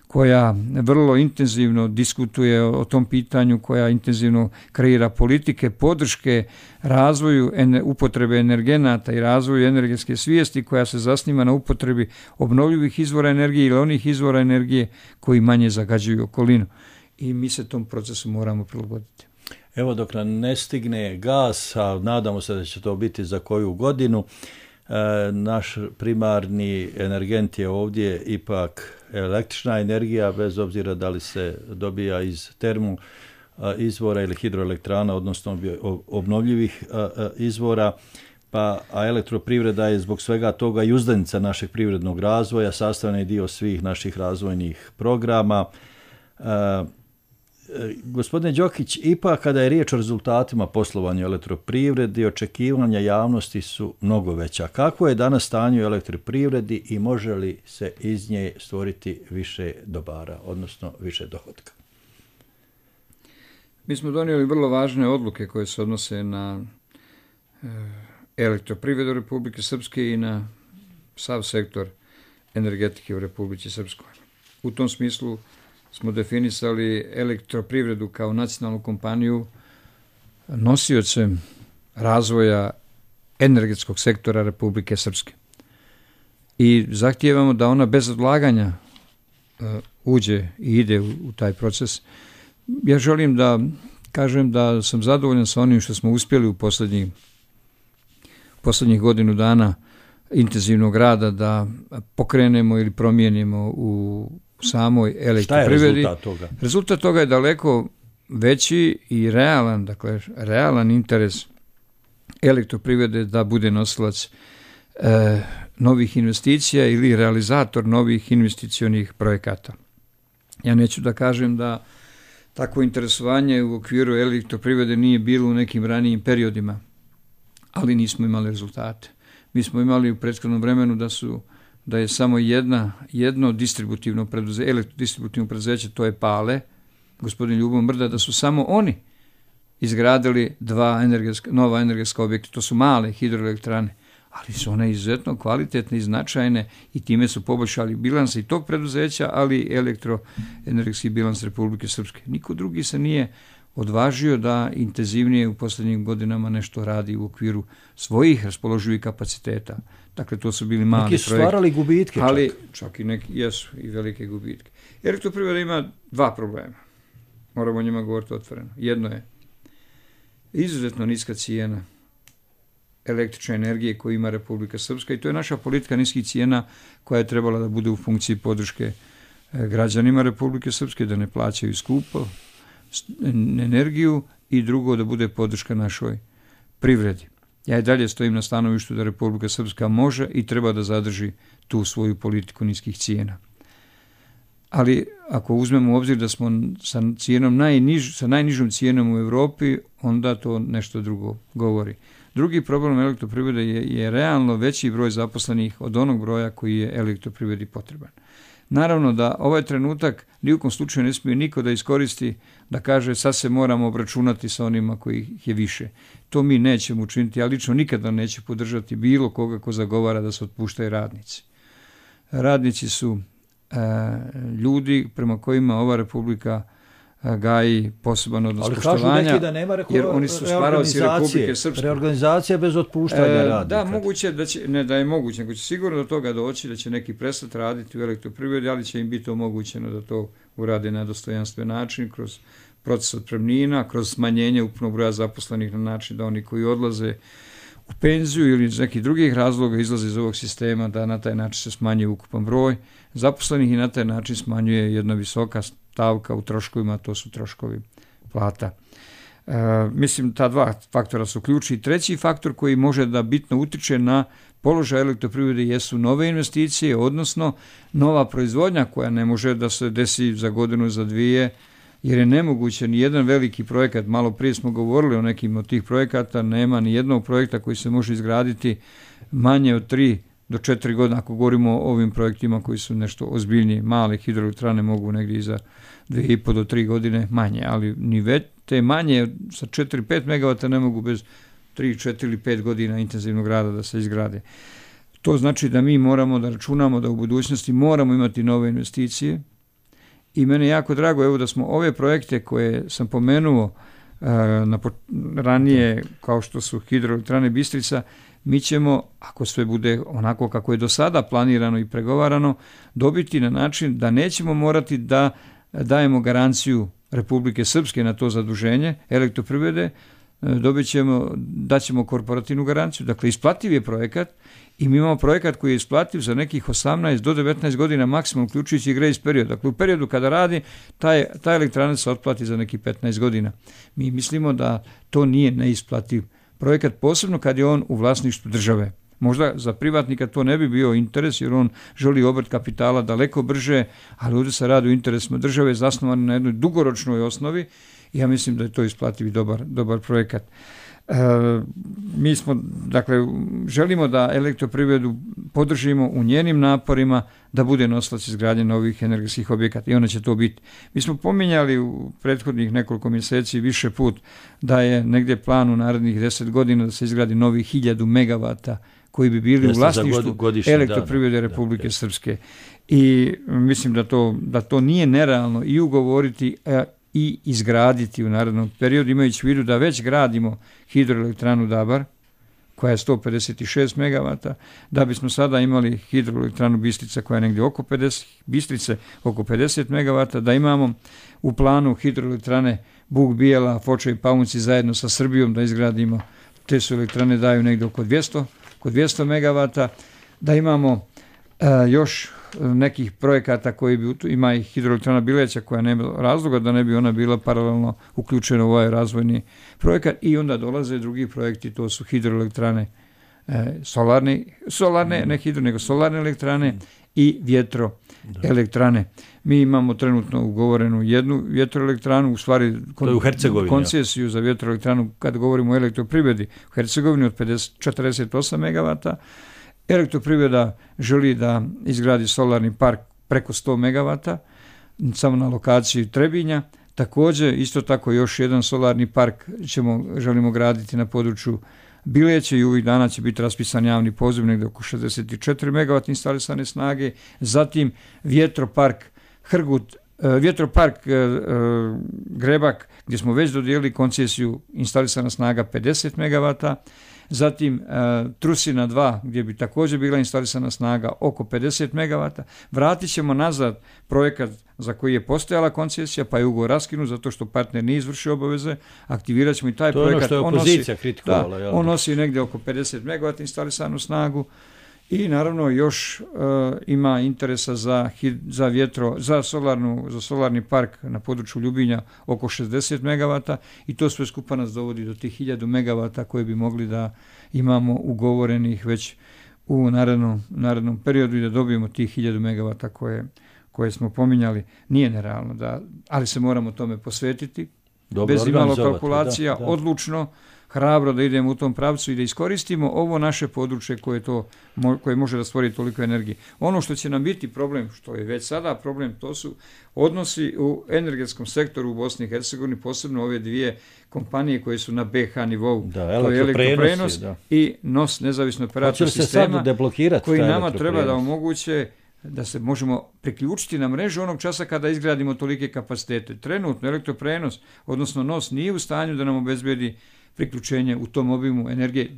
[SPEAKER 12] koja vrlo intenzivno diskutuje o tom pitanju, koja intenzivno kreira politike, podrške razvoju upotrebe energenata i razvoju energetske svijesti koja se zasniva na upotrebi obnovljivih izvora energije ili onih izvora energije koji manje zagađuju okolinu. I mi se tom procesu moramo prilagoditi.
[SPEAKER 11] Evo dok nam ne stigne gas, a nadamo se da će to biti za koju godinu, naš primarni energent je ovdje ipak električna energija, bez obzira da li se dobija iz termo izvora ili hidroelektrana, odnosno obnovljivih izvora, a elektroprivreda je zbog svega toga i uzdanica našeg privrednog razvoja, sastavni dio svih naših razvojnih programa. Gospodine Đokić, ipak kada je riječ o rezultatima poslovanja elektroprivredi, očekivanja javnosti su mnogo veća. Kako je danas stanje u elektroprivredi i može li se iz nje stvoriti više dobara, odnosno više dohotka?
[SPEAKER 12] Mi smo donijeli vrlo važne odluke koje se odnose na elektroprivredu Republike Srpske i na sav sektor energetike u Republici Srpskoj. U tom smislu smo definisali elektroprivredu kao nacionalnu kompaniju nosiocem razvoja energetskog sektora Republike Srpske. I zahtijevamo da ona bez odlaganja uđe i ide u taj proces. Ja želim da kažem da sam zadovoljan sa onim što smo uspjeli u posljednjih godinu dana intenzivnog rada da pokrenemo ili promijenimo u samoj elektroprivredi.
[SPEAKER 11] Šta je rezultat toga?
[SPEAKER 12] Rezultat toga je daleko veći i realan interes elektroprivrede da bude nosilac novih investicija ili realizator novih investicionih projekata. Ja neću da kažem da takvo interesovanje u okviru elektroprivrede nije bilo u nekim ranijim periodima, ali nismo imali rezultate. Mi smo imali u prethodnom vremenu da je samo jedno distributivno preduzeće, to je Pale, gospodin Ljubo Mrda, da su samo oni izgradili nova energetska objekta. To su male hidroelektrane, ali su one izuzetno kvalitetne i značajne i time su poboljšali bilans i tog preduzeća, ali i elektroenergetski bilans Republike Srpske. Niko drugi se nije odvažio da intenzivnije u posljednjim godinama nešto radi u okviru svojih raspoloživih kapaciteta. Dakle, to su bili mali projekti.
[SPEAKER 11] Neki su stvarali gubitke
[SPEAKER 12] ali čak i neki jesu i velike gubitke. Elektroprivreda ima dva problema. Moramo o njima govoriti otvoreno. Jedno je izuzetno niska cijena električne energije koju ima Republika Srpska i to je naša politika niskih cijena koja je trebala da bude u funkciji podrške građanima Republike Srpske, da ne plaćaju skupo energiju i drugo da bude podrška našoj privredi. Ja i dalje stojim na stanovištu da Republika Srpska može i treba da zadrži tu svoju politiku niskih cijena. Ali ako uzmemo u obzir da smo sa najnižom cijenom u Europi, onda to nešto drugo govori. Drugi problem elektroprivrede je realno veći broj zaposlenih od onog broja koji je elektroprivredi potreban. Naravno da ovaj trenutak ni u kom slučaju ne smije niko da iskoristi da kaže sad se moramo obračunati sa onima kojih je više. To mi nećemo učiniti, ja lično nikada neću podržati bilo koga ko zagovara da se otpuštaju radnici. Radnici su ljudi prema kojima ova republika gaji poseban odnos poštovanja.
[SPEAKER 11] Ali kažu neki da nema
[SPEAKER 12] jer oni su stvaraoci Republike Srpske.
[SPEAKER 11] Reorganizacija bez otpuštanja radnika.
[SPEAKER 12] Da, moguće da će, ne da je moguće, nego će sigurno do toga doći da će neki prestati raditi u elektroprivredi, ali će im biti omogućeno da to urade na dostojanstven način, kroz proces otpremnina, kroz smanjenje ukupnog broja zaposlenih na način da oni koji odlaze u penziju ili iz nekih drugih razloga izlaze iz ovog sistema, da na taj način se smanjuje ukupan broj zaposlenih i na taj način smanjuje jedna visoka stavka u troškovima, to su troškovi plata. Mislim, ta dva faktora su ključni. Treći faktor koji može da bitno utiče na položaj elektroprivrede jesu nove investicije, odnosno nova proizvodnja koja ne može da se desi za godinu, za dvije, jer je nemoguće ni jedan veliki projekat, malo prije smo govorili o nekim od tih projekata, nema ni jednog projekta koji se može izgraditi manje od 3 do 4 godine, ako govorimo o ovim projektima koji su nešto ozbiljnije. Male hidroelektrane mogu negdje i za 2,5 do 3 godine manje, ali ni već te manje sa 4-5 megavata ne mogu bez 3, 4 ili 5 godina intenzivnog rada da se izgrade. To znači da mi moramo da računamo da u budućnosti moramo imati nove investicije i mene je jako drago evo da smo ove projekte koje sam pomenuo ranije kao što su hidroelektrane Bistrica, mi ćemo, ako sve bude onako kako je do sada planirano i pregovarano, dobiti na način da nećemo morati da dajemo garanciju Republike Srpske na to zaduženje elektroprivrede, daćemo korporativnu garanciju. Dakle, isplativ je projekat i mi imamo projekat koji je isplativ za nekih 18 do 19 godina maksimum, uključujući grace period. Dakle, u periodu kada radi, ta elektrana se otplati za nekih 15 godina. Mi mislimo da to nije neisplativ projekat, posebno kad je on u vlasništvu države. Možda za privatnika to ne bi bio interes jer on želi obrt kapitala daleko brže, ali ovdje se radi o interesima države zasnovan na jednoj dugoročnoj osnovi i ja mislim da je to isplativ i dobar projekat. Mi smo, dakle, želimo da elektroprivredu podržimo u njenim naporima da bude nosilac izgradnje novih energetskih objekata i ona će to biti. Mi smo pominjali u prethodnih nekoliko mjeseci više put da je negdje plan u narednih 10 godina da se izgradi novih 1000 megavata koji bi bili u vlasništvu elektroprivrede Republike Srpske. I mislim da to nije nerealno i ugovoriti i izgraditi u narednom periodu, imajući u vidu da već gradimo hidroelektranu Dabar, koja je 156 megavata, da bismo sada imali hidroelektranu Bistrica koja je negdje oko 50 megavata, da imamo u planu hidroelektrane Bug Bijela, Foča i Paunci zajedno sa Srbijom da izgradimo, te su elektrane daju negdje oko 200 megavata, da imamo još nekih projekata koji bi, ima i hidroelektrana Bileća koja nema razloga da ne bi ona bila paralelno uključena u ovaj razvojni projekat i onda dolaze drugi projekti, to su hidroelektrane solarne, ne hidro, nego solarne elektrane i vjetroelektrane. Mi imamo trenutno ugovorenu jednu vjetroelektranu, u stvari koncesiju za vjetroelektranu kad govorimo o elektroprivredi u Hercegovini od 48 megavata. Elektroprivreda želi da izgradi solarni park preko 100 megavata, samo na lokaciji Trebinja. Također, isto tako još jedan solarni park želimo graditi na području Bileće i ovih dana će biti raspisan javni poziv negdje oko 64 megavata instalisane snage. Zatim vjetropark Hrgut, vjetropark Grebak gdje smo već dodijelili koncesiju, instalisana snaga 50 megavata. Zatim Trusina 2 gdje bi također bila instalisana snaga oko 50 megavata. Vratit ćemo nazad projekat za koji je postojala koncesija pa je ugovor raskinut zato što partner nije izvršio obaveze. Aktivirat ćemo i taj projekat.
[SPEAKER 11] To je ono što je opozicija kritikovala.
[SPEAKER 12] On nosi negdje oko 50 megavata instalisanu snagu. I naravno još ima interesa za solarni park na području Ljubinja oko 60 megavata i to sve skupa nas dovodi do tih 1000 megavata koje bi mogli da imamo ugovorenih već u narednom periodu i da dobijemo tih 1000 megavata koje smo pominjali. Nije nerealno, ali se moramo tome posvetiti. Bez imalo kalkulacija, odlučno, hrabro da idemo u tom pravcu i da iskoristimo ovo naše područje koje može da stvori toliko energije. Ono što će nam biti problem, što je već sada problem, to su odnosi u energetskom sektoru u Bosni i Hercegovini, posebno ove dvije kompanije koje su na BH nivou. To je elektroprenos i NOS, nezavisno operator sistema, koji nama treba da omoguće da se možemo priključiti na mrežu onog časa kada izgradimo tolike kapacitete. Trenutno elektroprenos, odnosno NOS, nije u stanju da nam obezbedi priključenje u tom obimu energije,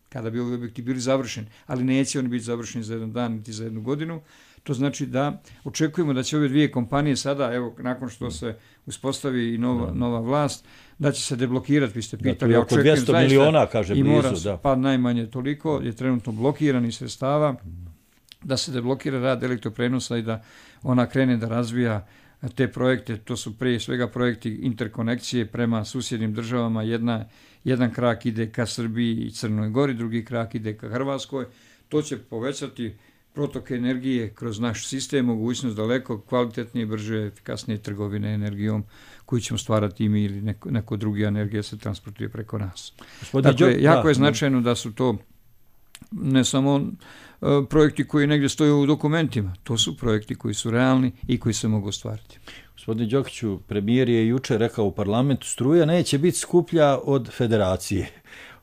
[SPEAKER 12] kada bi ovi objekti bili završeni, ali neće oni biti završeni za jedan dan niti za jednu godinu. To znači da očekujemo da će ove dvije kompanije sada, evo, nakon što se uspostavi i nova vlast, da će se deblokirati, vi ste pitali.
[SPEAKER 11] Oko 200 miliona, kaže blizu.
[SPEAKER 12] I mora pa najmanje toliko, je trenutno blokiranih sredstava, da se deblokira rad elektroprenosa i da ona krene da razvija te projekte. To su prije svega projekti interkonekcije prema susjednim državama. Jedan krak ide ka Srbiji i Crnoj Gori, drugi krak ide ka Hrvatskoj. To će povećati protok energije kroz naš sistem, mogućnost daleko kvalitetnije, brže, efikasnije trgovine energijom koju ćemo stvarati i mi ili neko drugi energija se transportuje preko nas. Dakle, jako je značajno da su to ne samo projekti koji negdje stoje u dokumentima, to su projekti koji su realni i koji se mogu ostvariti.
[SPEAKER 11] Gospodine Đokiću, premijer je jučer rekao u parlamentu, struja neće biti skuplja od federacije.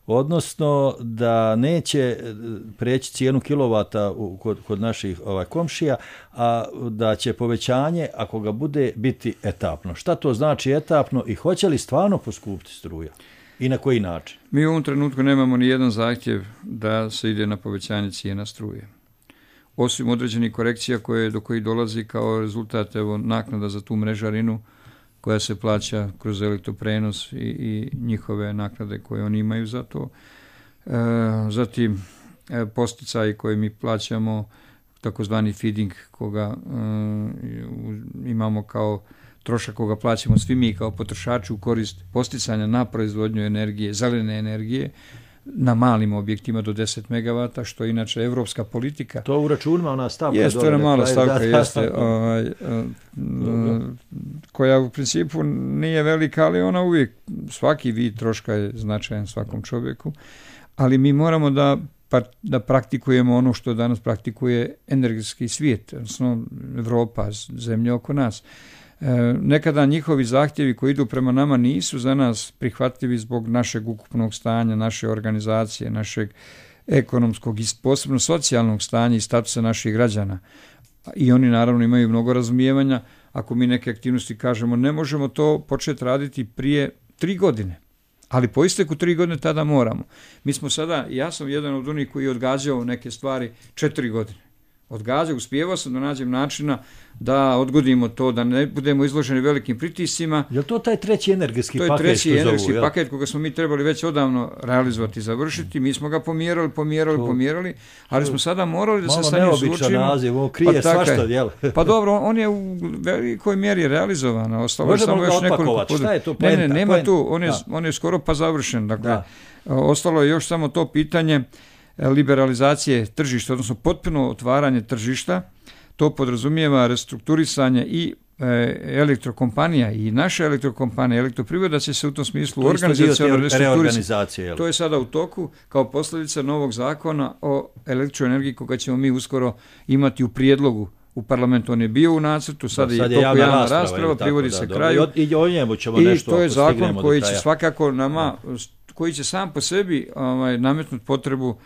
[SPEAKER 11] Odnosno da neće preći cijenu kilovata kod naših komšija, a da će povećanje, ako ga bude, biti etapno. Šta to znači etapno i hoće li stvarno poskupiti struja? I na koji način?
[SPEAKER 12] Mi u ovom trenutku nemamo ni jedan zahtjev da se ide na povećanje cijena struje. Osim određenih korekcija do kojih dolazi kao rezultat naknada za tu mrežarinu koja se plaća kroz elektroprenos i njihove naknade koje oni imaju za to. Zatim posticaji koje mi plaćamo, takozvani feeding, koga imamo kao trošak koga plaćamo svi mi kao potrošači u korist posticanja na proizvodnju energije, zelene energije, na malim objektima do 10 MW, što je inače evropska politika.
[SPEAKER 11] To u računima ona stavka.
[SPEAKER 12] Jeste, ona mala stavka, jeste, koja u principu nije velika, ali ona uvijek, svaki vid troška je značajan svakom čovjeku, ali mi moramo da praktikujemo ono što danas praktikuje energetski svijet, odnosno Evropa, zemlje oko nas. Nekada njihovi zahtjevi koji idu prema nama nisu za nas prihvatljivi zbog našeg ukupnog stanja, naše organizacije, našeg ekonomskog i posebno socijalnog stanja i statusa naših građana. I oni naravno imaju mnogo razumijevanja. Ako mi neke aktivnosti kažemo ne možemo to početi raditi prije 3 godine, ali po isteku 3 godine tada moramo. Mi smo sada, ja sam jedan od onih koji je odgađao neke stvari 4 godine. Odgađao, uspijevao sam da nađem načina da odgodimo to, da ne budemo izloženi velikim pritiscima.
[SPEAKER 11] Je li to taj treći energetski paket?
[SPEAKER 12] To je treći energetski paket koga smo mi trebali već odavno realizovati i završiti. Mi smo ga pomjerali, ali smo sada morali da se sa njim suočimo. Malo neobičan naziv, ovo krije svašta, jel?
[SPEAKER 11] Pa
[SPEAKER 12] dobro, on je u velikoj mjeri realizovan.
[SPEAKER 11] Možemo ga otpakovati, šta je to poenta?
[SPEAKER 12] Ne, nema tu, on je skoro pa završen. Dakle, ostalo je još samo to pitanje liberalizacije tržišta, odnosno potpuno otvaranje tržišta. To podrazumijeva restrukturisanje i elektrokompanija i naša elektrokompanija, elektroprivreda će se u tom smislu organizacionalno restrukturisati. To je sada u toku kao posljedica novog zakona o elektroenergiji koga ćemo mi uskoro imati u prijedlogu u parlamentu. On je bio u nacrtu, sada je toku javna rasprava, privodi se kraju.
[SPEAKER 11] I o njemu ćemo nešto.
[SPEAKER 12] I to je zakon koji će svakako nama, koji će sam po sebi nametnuti potrebu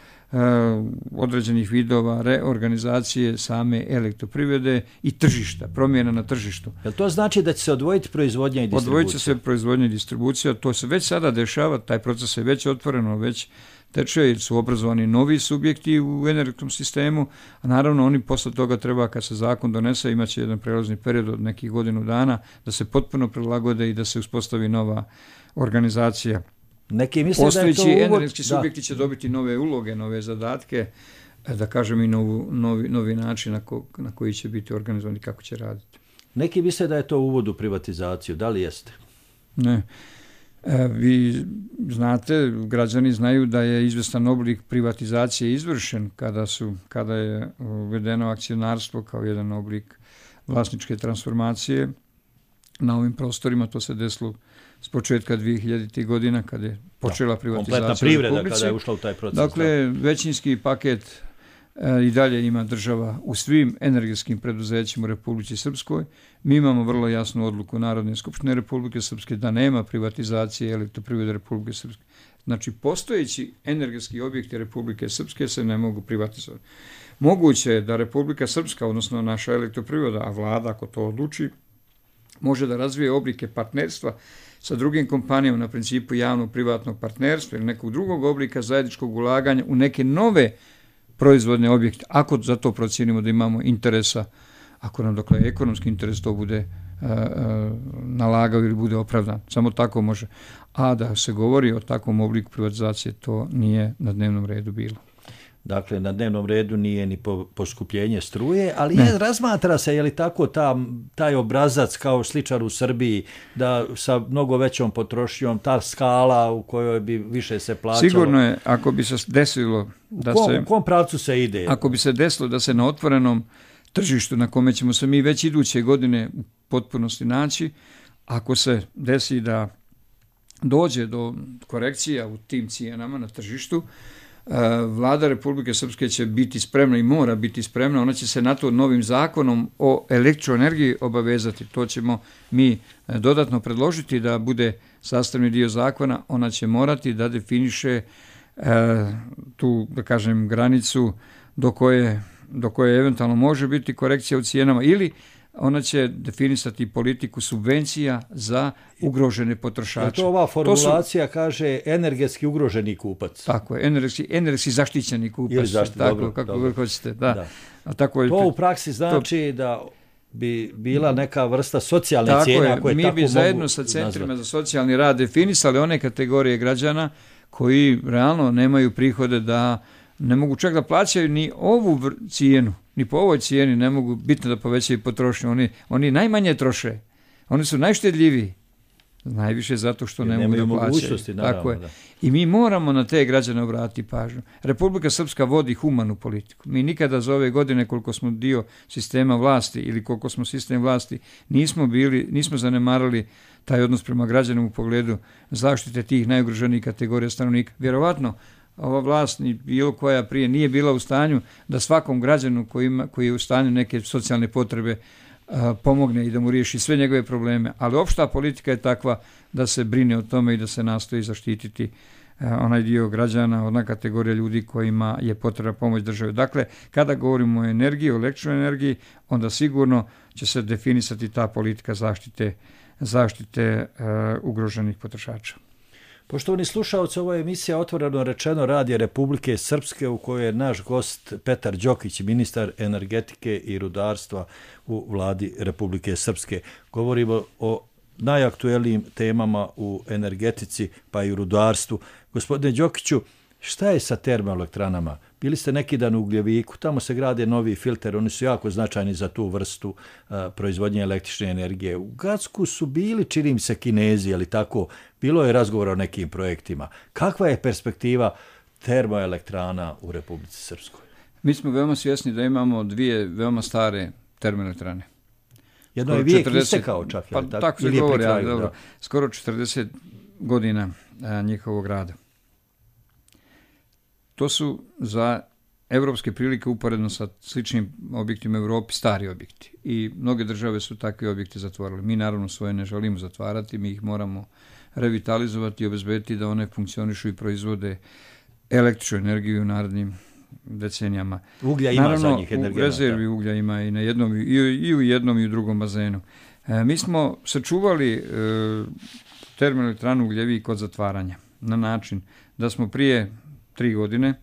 [SPEAKER 12] određenih vidova reorganizacije same elektroprivrede i tržišta, promjena na tržištu.
[SPEAKER 11] Jel to znači da će se odvojiti proizvodnja i distribucija?
[SPEAKER 12] Odvojit će se proizvodnja i distribucija, to se već sada dešava, taj proces je već otvoreno, već teče jer su obrazovani novi subjekti u energetskom sistemu, a naravno oni posle toga treba, kad se zakon donese, imat će jedan prelazni period od nekih godinu dana da se potpuno prilagode i da se uspostavi nova organizacija. Postojeći energetski subjekti će dobiti nove uloge, nove zadatke, da kažem i novi način na koji će biti organizovani, kako će raditi.
[SPEAKER 11] Neki misle da je to uvod u privatizaciju, da li jeste?
[SPEAKER 12] Ne. Vi znate, građani znaju da je izvestan oblik privatizacije izvršen kada je uvedeno akcionarstvo kao jedan oblik vlasničke transformacije na ovim prostorima. To se desilo s početka 2000. godina kada je počela privatizacija
[SPEAKER 11] kompletna privreda kada je ušla u taj proces.
[SPEAKER 12] Dakle, većinski paket i dalje ima država u svim energetskim preduzećima u Republici Srpskoj. Mi imamo vrlo jasnu odluku Narodne skupštine Republike Srpske da nema privatizacije elektroprivrede Republike Srpske. Znači, postojeći energetski objekti Republike Srpske se ne mogu privatizovati. Moguće je da Republika Srpska, odnosno naša elektroprivreda, a vlada ako to odluči, može da razvije oblike partnerstva sa drugim kompanijama na principu javno-privatnog partnerstva ili nekog drugog oblika zajedničkog ulaganja u neke nove proizvodne objekte, ako za to procijenimo da imamo interesa, ako nam dokle ekonomski interes to bude nalagao ili bude opravdan. Samo tako može. A da se govori o takvom obliku privatizacije, to nije na dnevnom redu bilo.
[SPEAKER 11] Dakle, na dnevnom redu nije ni poskupljenje struje, ali razmatra se, je li tako taj obrazac kao sličar u Srbiji, da sa mnogo većom potrošnjom, ta skala u kojoj bi više se plaćalo.
[SPEAKER 12] Sigurno je, ako bi se desilo da
[SPEAKER 11] u kom pravcu se ide?
[SPEAKER 12] Ako bi se desilo da se na otvorenom tržištu, na kome ćemo se mi već iduće godine u potpunosti naći, ako se desi da dođe do korekcija u tim cijenama na tržištu, Vlada Republike Srpske će biti spremna i mora biti spremna, ona će se na to novim zakonom o elektroenergiji obavezati. To ćemo mi dodatno predložiti da bude sastavni dio zakona. Ona će morati da definiše tu, da kažem, granicu do koje eventualno može biti korekcija u cijenama, ili ona će definisati politiku subvencija za ugrožene potrošače.
[SPEAKER 11] To ova formulacija kaže energetski ugroženi kupac.
[SPEAKER 12] Tako je, energetski zaštićeni kupac.
[SPEAKER 11] Ili
[SPEAKER 12] tako, kako hoćete. Da. A tako je,
[SPEAKER 11] to u praksi znači da bi bila neka vrsta socijalne cijene. Ako je
[SPEAKER 12] mi
[SPEAKER 11] tako
[SPEAKER 12] bi zajedno sa centrima za socijalni rad definisali one kategorije građana koji realno nemaju prihode, da ne mogu čak da plaćaju ni ovu cijenu, ni po ovoj cijeni ne mogu bitno da povećaju potrošnju. Oni najmanje troše. Oni su najštedljiviji. Najviše zato što ne mogu da plaćaju. Tako je. I mi moramo na te građane obratiti pažnju. Republika Srpska vodi humanu politiku. Mi nikada za ove godine, koliko smo dio sistema vlasti ili koliko smo sistem vlasti, nismo zanemarali taj odnos prema građanima u pogledu zaštite tih najugroženijih kategorija stanovnika. Vjerovatno ova vlast ni bilo koja prije nije bila u stanju da svakom građanu koji je u stanju neke socijalne potrebe pomogne i da mu riješi sve njegove probleme, ali opšta politika je takva da se brine o tome i da se nastoji zaštititi onaj dio građana, ona kategorija ljudi kojima je potrebna pomoć države. Dakle, kada govorimo o energiji, o elektroenergiji, onda sigurno će se definisati ta politika zaštite ugroženih potrošača.
[SPEAKER 11] Poštovani slušaoci, ovo je emisija Otvoreno rečeno Radija Republike Srpske, u kojoj je naš gost Petar Đokić, ministar energetike i rudarstva u Vladi Republike Srpske. Govorimo o najaktuelnijim temama u energetici pa i u rudarstvu. Gospodine Đokiću, šta je sa termoelektranama? Bili ste neki dan u Ugljeviku, tamo se grade novi filter, oni su jako značajni za tu vrstu proizvodnje električne energije. U Gacku su bili, čini mi se, Kinezi, ali tako, bilo je razgovora o nekim projektima. Kakva je perspektiva termoelektrana u Republici Srpskoj?
[SPEAKER 12] Mi smo veoma svjesni da imamo dvije veoma stare termoelektrane.
[SPEAKER 11] Jedno je vijek istekao čak.
[SPEAKER 12] Pa tako se govori, ali dobro. Skoro 40 godina njihovog rada. To su za evropske prilike uporedno sa sličnim objektima u Europi stari objekti i mnoge države su takve objekte zatvorili. Mi naravno svoje ne želimo zatvarati, mi ih moramo revitalizovati i obezbediti da one funkcionišu i proizvode električnu energiju u narednim decenijama.
[SPEAKER 11] Uglja ima
[SPEAKER 12] naravno,
[SPEAKER 11] za njih energenata.
[SPEAKER 12] U rezervi uglja ima i na jednom i u jednom i u drugom bazenu. Mi smo sačuvali termoelektranu Ugljevik od zatvaranja na način da smo prije 3 godine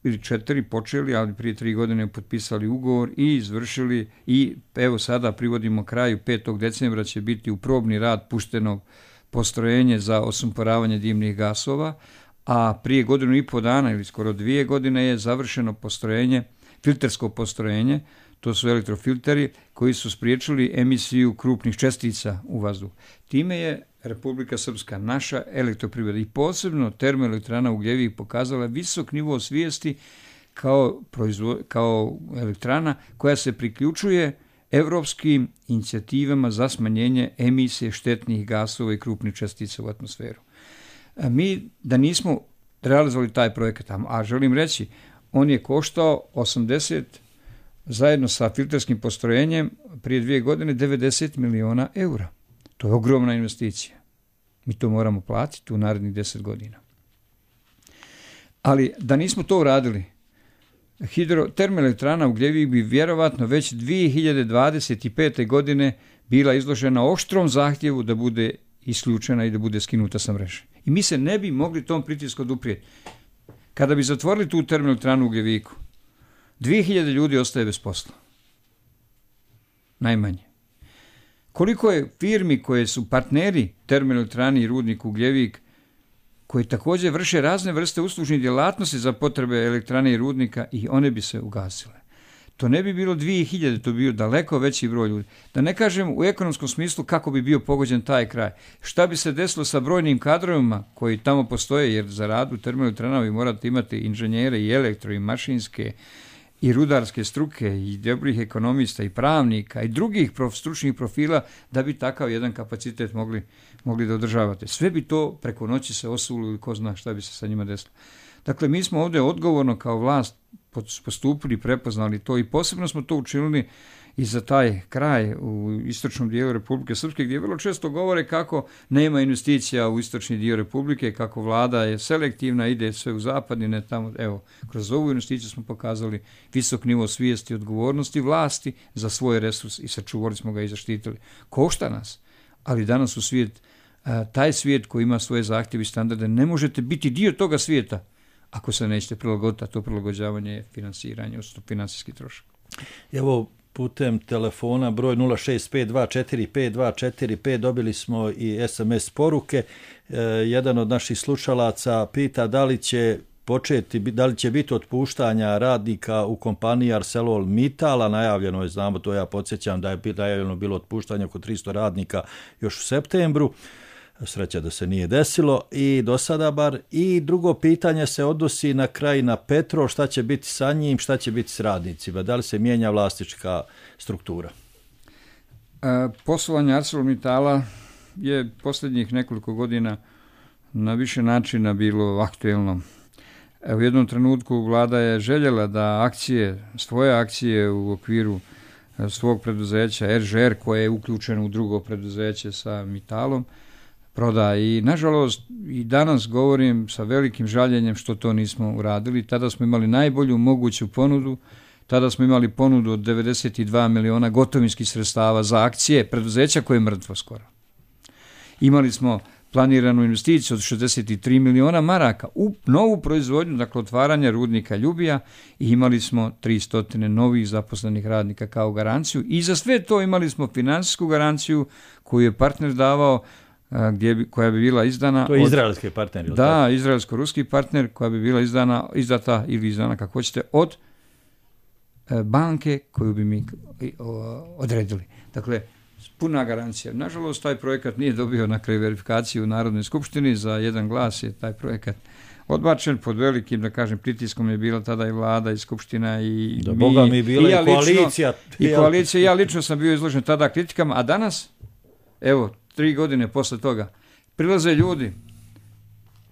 [SPEAKER 12] ili 4 počeli, ali prije 3 godine potpisali ugovor i izvršili i evo sada privodimo kraju 5. decembra će biti u probni rad pušteno postrojenje za osumporavanje dimnih gasova, a prije 1,5 dana ili skoro 2 godine je završeno postrojenje, filtersko postrojenje, to su elektrofilteri koji su spriječili emisiju krupnih čestica u vazduh. Time je Republika Srpska, naša elektroprivreda i posebno termoelektrana Ugljevik pokazala visok nivo svijesti kao elektrana koja se priključuje evropskim inicijativama za smanjenje emisije štetnih gasova i krupnih čestica u atmosferu. Mi da nismo realizovali taj projekat, a želim reći, on je koštao 80 zajedno sa filterskim postrojenjem prije 2 godine 90 miliona eura. To je ogromna investicija. Mi to moramo platiti u narednih 10 godina. Ali da nismo to uradili, termoelektrana Ugljevik bi vjerovatno već 2025. godine bila izložena oštrom zahtjevu da bude isključena i da bude skinuta sa mreže. I mi se ne bi mogli tom pritisku oduprijeti. Kada bi zatvorili tu termoelektranu u Ugljeviku, 2000 ljudi ostaje bez posla. Najmanje. Koliko je firmi koje su partneri termoelektrani i rudniku Ugljevik, koji također vrše razne vrste uslužnih djelatnosti za potrebe elektrane i rudnika, i one bi se ugasile. To ne bi bilo 2000, to bi bio daleko veći broj ljudi. Da ne kažem u ekonomskom smislu kako bi bio pogođen taj kraj. Šta bi se desilo sa brojnim kadrovima koji tamo postoje, jer za rad u termoelektranama vi morate imati inženjere i elektro i mašinske i rudarske struke i dobrih ekonomista i pravnika i drugih stručnih profila da bi takav jedan kapacitet mogli da održavate. Sve bi to preko noći se osulo ili ko zna šta bi se sa njima desilo. Dakle, mi smo ovdje odgovorno kao vlast postupili, prepoznali to i posebno smo to učinili i za taj kraj u istočnom dijelu Republike Srpske, gdje vrlo često govore kako nema investicija u istočni dio Republike, kako vlada je selektivna, ide sve u zapadni, ne tamo. Evo, kroz ovu investiciju smo pokazali visok nivo svijesti i odgovornosti vlasti za svoj resurs i sačuvali smo ga i zaštitili. Košta nas, ali danas u svijet, taj svijet koji ima svoje zahtjeve i standarde, ne možete biti dio toga svijeta ako se nećete prilagoditi, a to prilagođavanje je finansiranje, odnosno financijski trošak.
[SPEAKER 11] Evo, putem telefona broj 065245245 dobili smo i SMS poruke. Jedan od naših slušalaca pita da li će biti otpuštanja radnika u kompaniji ArcelorMittal, najavljeno je, znamo to, ja podsjećam da je najavljeno bilo otpuštanje oko 300 radnika još u septembru. Sreća da se nije desilo i do sada bar. I drugo pitanje se odnosi na kraj na Petrol, šta će biti sa njim, šta će biti s radnicima, da li se mijenja vlasnička struktura?
[SPEAKER 12] Poslovanje ArcelorMittala je posljednjih nekoliko godina na više načina bilo aktuelno. U jednom trenutku vlada je željela da svoje akcije u okviru svog preduzeća RŽR, koje je uključeno u drugo preduzeće sa Mittalom, proda. I nažalost i danas govorim sa velikim žaljenjem što to nismo uradili. Tada smo imali najbolju moguću ponudu, tada smo imali ponudu od 92 miliona gotovinskih sredstava za akcije preduzeća koje je mrtvo skoro. Imali smo planiranu investiciju od 63 miliona maraka u novu proizvodnju, dakle otvaranje rudnika Ljubija, i imali smo 300 novih zaposlenih radnika kao garanciju i za sve to imali smo financijsku garanciju koju je partner davao, koja bi bila izdana.
[SPEAKER 11] To je izraelski partner, ili
[SPEAKER 12] da,
[SPEAKER 11] tako?
[SPEAKER 12] izraelsko-ruski partner, koja bi bila izdata ili izdana, kako hoćete, od banke koju bi mi odredili. Dakle, puna garancija. Nažalost, taj projekat nije dobio na kraju verifikaciju u Narodnoj skupštini, za jedan glas je taj projekat odbačen, pod velikim, da kažem, pritiskom je bila tada i vlada i skupština i
[SPEAKER 11] da, Boga mi bila i koalicija.
[SPEAKER 12] I koalicija, ja lično sam bio izložen tada kritikama, a danas, evo, 3 godine posle toga, prilaze ljudi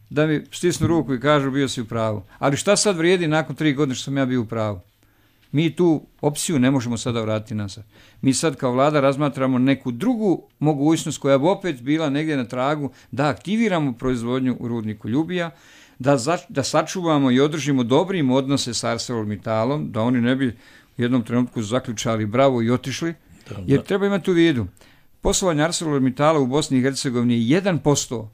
[SPEAKER 12] da mi stisnu ruku i kažu bio si u pravu. Ali šta sad vrijedi nakon 3 godine što sam ja bio u pravu? Mi tu opciju ne možemo sada vratiti nazad. Mi sad kao vlada razmatramo neku drugu mogućnost koja bi opet bila negdje na tragu da aktiviramo proizvodnju u rudniku Ljubija, da sačuvamo i održimo dobrim odnose s ArcelorMittalom, da oni ne bi u jednom trenutku zaključali bravo i otišli, jer treba imati u vidu. Poslovanje ArcelorMittala u Bosni i Hercegovini je 1%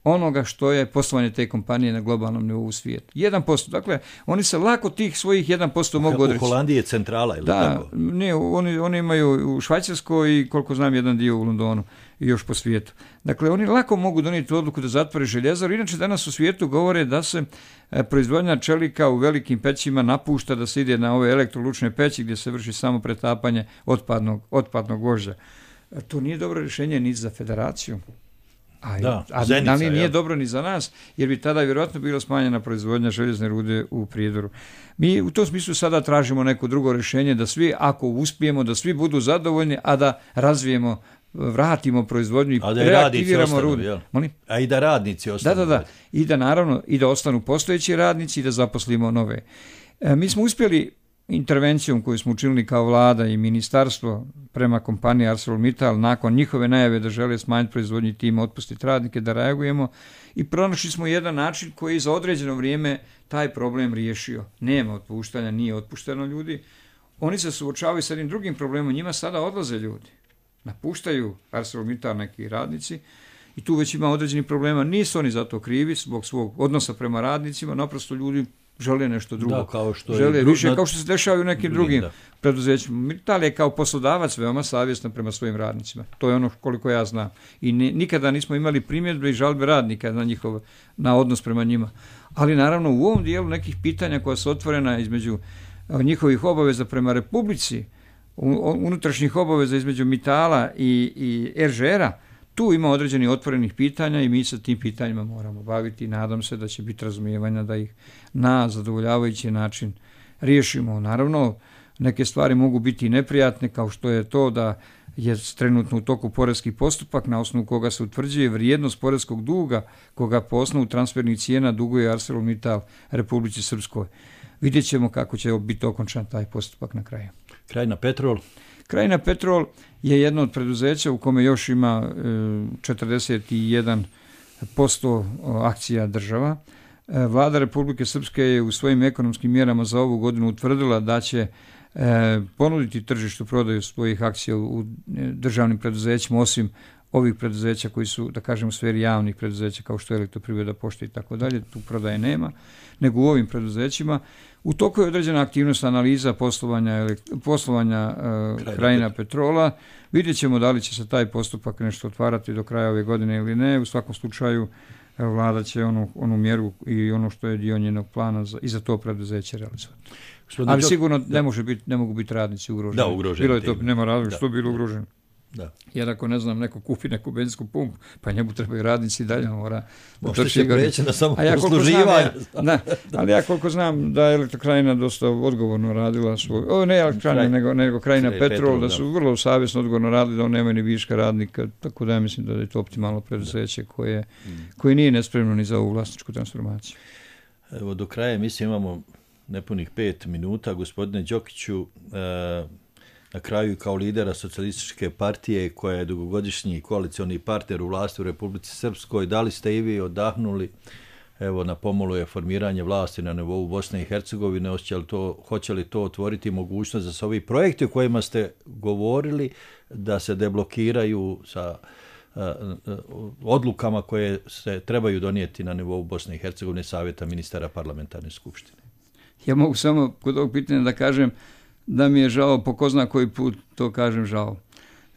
[SPEAKER 12] onoga što je poslovanje te kompanije na globalnom nivou u svijetu. 1%. Dakle, oni se lako tih svojih 1% mogu odreći.
[SPEAKER 11] U Holandiji je centrala, ili tako?
[SPEAKER 12] Ne, oni imaju u Švajcarskoj i koliko znam jedan dio u Londonu i još po svijetu. Dakle, oni lako mogu donijeti odluku da zatvore željezaru. Inače, danas u svijetu govore da se proizvodnja čelika u velikim pećima napušta, da se ide na ove elektrolučne peći gdje se vrši samo pretapanje otpadnog gvožđa. To nije dobro rješenje ni za federaciju. Ali nije dobro ni za nas, jer bi tada vjerojatno bila smanjena proizvodnja željezne rude u Prijedoru. Mi u tom smislu sada tražimo neko drugo rješenje, da svi, ako uspijemo, da svi budu zadovoljni, a da razvijemo, vratimo proizvodnju i reaktiviramo rude.
[SPEAKER 11] A i da radnici ostanu.
[SPEAKER 12] Da. I da naravno, i da ostanu postojeći radnici i da zaposlimo nove. Mi smo uspjeli intervencijom koju smo učinili kao vlada i ministarstvo prema kompaniji ArcelorMittal, nakon njihove najave da žele smanjiti proizvodnju i time otpustiti radnike, da reagujemo i pronašli smo jedan način koji za određeno vrijeme taj problem riješio. Nema otpuštanja, nije otpušteno ljudi. Oni se suočavaju sa jednim drugim problemom, njima sada odlaze ljudi. Napuštaju ArcelorMittal neki radnici i tu već ima određenih problema. Nisu oni za to krivi zbog svog odnosa prema radnicima, naprosto ljudi žele nešto drugo.
[SPEAKER 11] Da, kao što
[SPEAKER 12] žele više, kao što se dešava u nekim drugim preduzećima. Mittal je kao poslodavac veoma savjestan prema svojim radnicima. To je ono koliko ja znam. I nikada nismo imali primjedbe i žalbe radnika na odnos prema njima. Ali naravno u ovom dijelu nekih pitanja koja su otvorena između njihovih obaveza prema Republici, unutrašnjih obaveza između Mittala i RŽR-a, tu ima određenih otvorenih pitanja i mi se tim pitanjima moramo baviti i nadam se da će biti razumijevanja da ih na zadovoljavajući način riješimo. Naravno, neke stvari mogu biti neprijatne, kao što je to da je trenutno u toku porezki postupak na osnovu koga se utvrđuje vrijednost porezkog duga koga po osnovu transfernih cijena duguje ArcelorMittal Republici Srpskoj. Vidjet ćemo kako će biti okončan taj postupak na kraju.
[SPEAKER 11] Krajina Petrol?
[SPEAKER 12] Krajina Petrol je jedno od preduzeća u kome još ima 41% akcija država. Vlada Republike Srpske je u svojim ekonomskim mjerama za ovu godinu utvrdila da će ponuditi tržištu prodaju svojih akcija u državnim preduzećima, osim ovih preduzeća koji su, da kažem, u sferi javnih preduzeća kao što je Elektroprivreda, Pošta i tako dalje, tu prodaje nema, nego u ovim preduzećima. U toku je određena aktivnost analiza poslovanja Krajina Petrola. Vidjet ćemo da li će se taj postupak nešto otvarati do kraja ove godine ili ne. U svakom slučaju vlada će onu mjeru i ono što je dio njenog plana i za to preduzeće realizovati. Ali sigurno ne mogu biti radnici ugroženi.
[SPEAKER 11] Da, ugroženi.
[SPEAKER 12] Bilo je to, nema razloga što bilo ugroženo.
[SPEAKER 11] Da.
[SPEAKER 12] Jer ako ne znam, neko kupi neku benzinsku pumpu, pa njemu trebaju radnici dalje, mora
[SPEAKER 11] možda će preći na samo posluživanje.
[SPEAKER 12] Ali ja koliko znam da je Elektrokrajina dosta odgovorno radila ne Elektrokrajina, nego Krajina Petrol, da su vrlo savjesno odgovorno radili, da on nema ni viška radnika, tako da ja mislim da je to optimalno preduzeće koje nije nespremno ni za ovu vlasničku transformaciju.
[SPEAKER 11] Evo, do kraja mislim imamo nepunih 5 minuta. Gospodine Đokiću, na kraju kao lidera Socijalističke partije koja je dugogodišnji koalicioni partner u vlasti u Republici Srpskoj, da li ste i vi odahnuli, evo na pomolu je formiranje vlasti na nivou Bosne i Hercegovine, hoće li to otvoriti mogućnost da se ovi projekti o kojima ste govorili da se deblokiraju sa odlukama koje se trebaju donijeti na nivou Bosne i Hercegovine, Savjeta ministara parlamentarne skupštine?
[SPEAKER 12] Ja mogu samo kod ovog pitanja da kažem da mi je žao, po ko zna koji put to kažem žao.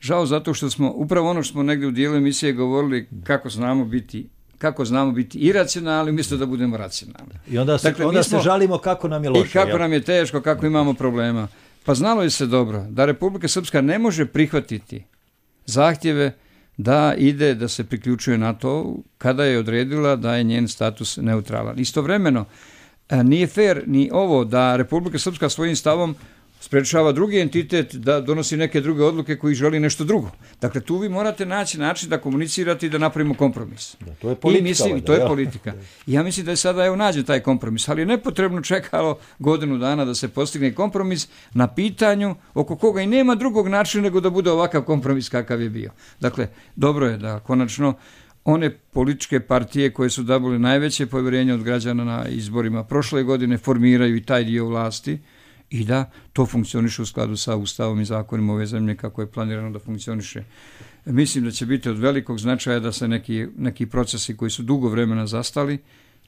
[SPEAKER 12] Žao zato što smo, upravo ono što smo negdje u dijelu emisije govorili kako znamo biti iracionalni umjesto da budemo racionalni.
[SPEAKER 11] I onda se žalimo kako nam je loše.
[SPEAKER 12] I kako nam je teško, kako imamo problema. Pa znalo je se dobro da Republika Srpska ne može prihvatiti zahtjeve da se priključuje NATO kada je odredila da je njen status neutralan. Istovremeno, nije fair ni ovo da Republika Srpska svojim stavom sprečava drugi entitet da donosi neke druge odluke koji želi nešto drugo. Dakle, tu vi morate naći način da komunicirate i da napravimo kompromis.
[SPEAKER 11] Da, to je politika.
[SPEAKER 12] To je politika. Ja mislim da je sada nađen taj kompromis, ali je nepotrebno čekalo godinu dana da se postigne kompromis na pitanju oko koga i nema drugog načina nego da bude ovakav kompromis kakav je bio. Dakle, dobro je da konačno one političke partije koje su dobile najveće povjerenje od građana na izborima prošle godine formiraju i taj dio vlasti i da to funkcioniše u skladu sa Ustavom i zakonima ove zemlje kako je planirano da funkcioniše. Mislim da će biti od velikog značaja da se neki procesi koji su dugo vremena zastali,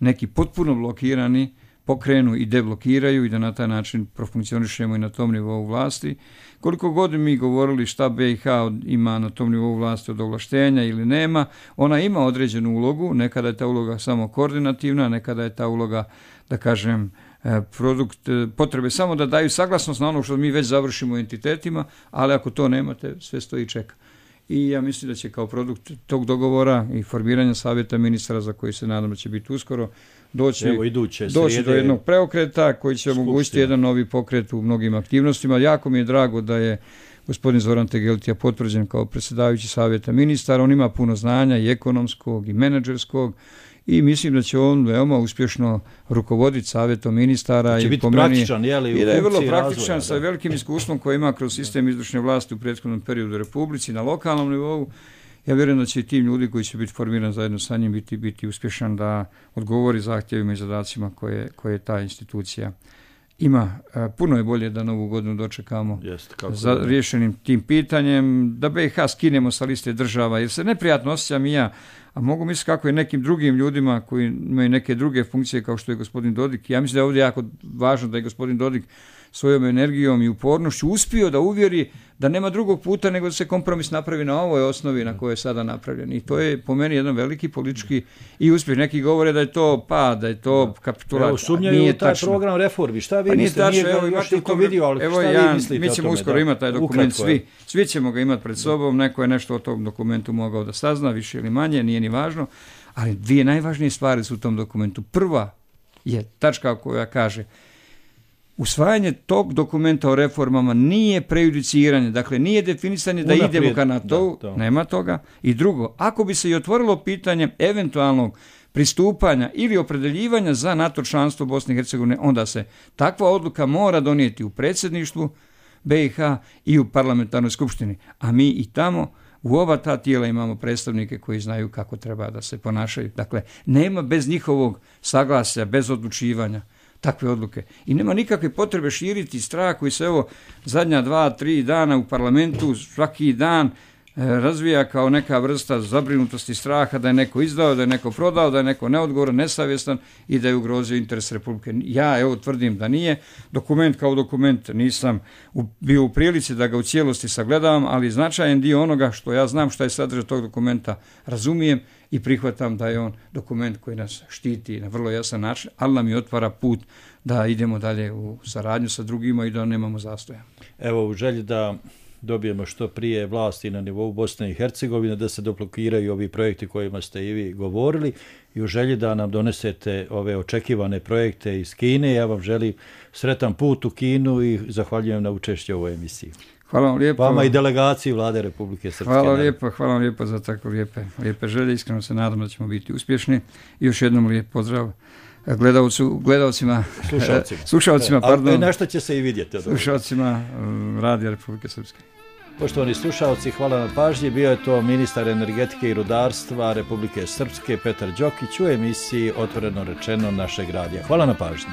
[SPEAKER 12] neki potpuno blokirani, pokrenu i deblokiraju i da na taj način profunkcionišemo i na tom nivou vlasti. Koliko god mi govorili šta BiH ima na tom nivou vlasti od ovlaštenja ili nema, ona ima određenu ulogu, nekada je ta uloga samo koordinativna, nekada je ta uloga, da kažem, produkt potrebe samo da daju saglasnost na ono što mi već završimo u entitetima, ali ako to nemate, sve stoji i čeka. I ja mislim da će kao produkt tog dogovora i formiranja savjeta ministara, za koji se nadam da će biti uskoro, doći do jednog preokreta koji će omogućiti jedan novi pokret u mnogim aktivnostima. Jako mi je drago da je gospodin Zoran Tegeltija potvrđen kao predsjedavajući savjeta ministara. On ima puno znanja i ekonomskog i menadžerskog i mislim da će on veoma uspješno rukovoditi savjetom ministara i po meni i da je vrlo praktičan sa velikim iskustvom koji ima kroz sistem izvršne vlasti u prethodnom periodu u Republici na lokalnom nivou. Ja vjerujem da će i tim ljudi koji će biti formirani zajedno sa njim biti uspješan da odgovori zahtjevima i zadacima koje ta institucija ima. Puno je bolje da Novu godinu dočekamo za rješenim tim pitanjem, da BiH skinemo sa liste država, jer se neprijatno osjećam i ja, a mogu misliti kako je nekim drugim ljudima koji imaju neke druge funkcije kao što je gospodin Dodik. Ja mislim da je ovdje jako važno da je gospodin Dodik svojom energijom i upornošću uspio da uvjeri da nema drugog puta nego da se kompromis napravi na ovoj osnovi na kojoj je sada napravljen. I to je po meni jedan veliki politički i uspjeh. Neki govore da je to pad, da je to kapitulacija.
[SPEAKER 11] Evo, sumnjaju u taj program reformi. Šta vi mislite? Nije ga još niko vidio, ali šta vi mislite?
[SPEAKER 12] Mi ćemo uskoro imati taj dokument, svi ćemo ga imati pred sobom. Neko je nešto o tom dokumentu mogao da sazna, više ili manje, nije ni važno. Ali dvije najvažnije stvari su u tom dokumentu. Prva je tačka koja kaže: usvajanje tog dokumenta o reformama nije prejudiciranje, dakle nije definisanje da idemo ka NATO, nema toga. I drugo, ako bi se i otvorilo pitanje eventualnog pristupanja ili opredeljivanja za NATO članstvo Bosne i Hercegovine, onda se takva odluka mora donijeti u predsjedništvu BiH i u parlamentarnoj skupštini. A mi i tamo u oba ta tijela imamo predstavnike koji znaju kako treba da se ponašaju. Dakle, nema bez njihovog saglasja, bez odlučivanja takve odluke. I nema nikakve potrebe širiti strah koji se zadnja 2-3 dana u parlamentu svaki dan razvija kao neka vrsta zabrinutosti, straha da je neko izdao, da je neko prodao, da je neko neodgovoran, nesavjestan i da je ugrozio interes Republike. Ja tvrdim da nije. Dokument kao dokument nisam bio u prilici da ga u cijelosti sagledavam, ali značajan dio onoga što ja znam što je sadržaj tog dokumenta razumijem i prihvatam da je on dokument koji nas štiti na vrlo jasan način, ali nam i otvara put da idemo dalje u saradnju sa drugima i da nemamo zastoja.
[SPEAKER 11] Evo, u želji da dobijemo što prije vlasti na nivou Bosne i Hercegovine, da se deblokiraju ovi projekti kojima ste i vi govorili, i u želji da nam donesete ove očekivane projekte iz Kine. Ja vam želim sretan put u Kinu i zahvaljujem na učešću u ovoj emisiji.
[SPEAKER 12] Hvala vam lijepo.
[SPEAKER 11] Vama i delegaciji Vlade Republike Srpske.
[SPEAKER 12] Hvala vam lijepo za tako lijepe želje. Iskreno se nadam da ćemo biti uspješni. I još jednom lijep pozdrav slušalcima, pardon.
[SPEAKER 11] Nešto će se i vidjeti.
[SPEAKER 12] Slušalcima Radija Republike Srpske.
[SPEAKER 11] Poštovani slušalci, hvala na pažnji. Bio je to ministar energetike i rudarstva Republike Srpske Petar Đokić u emisiji Otvoreno rečeno našeg radija. Hvala na pažnji.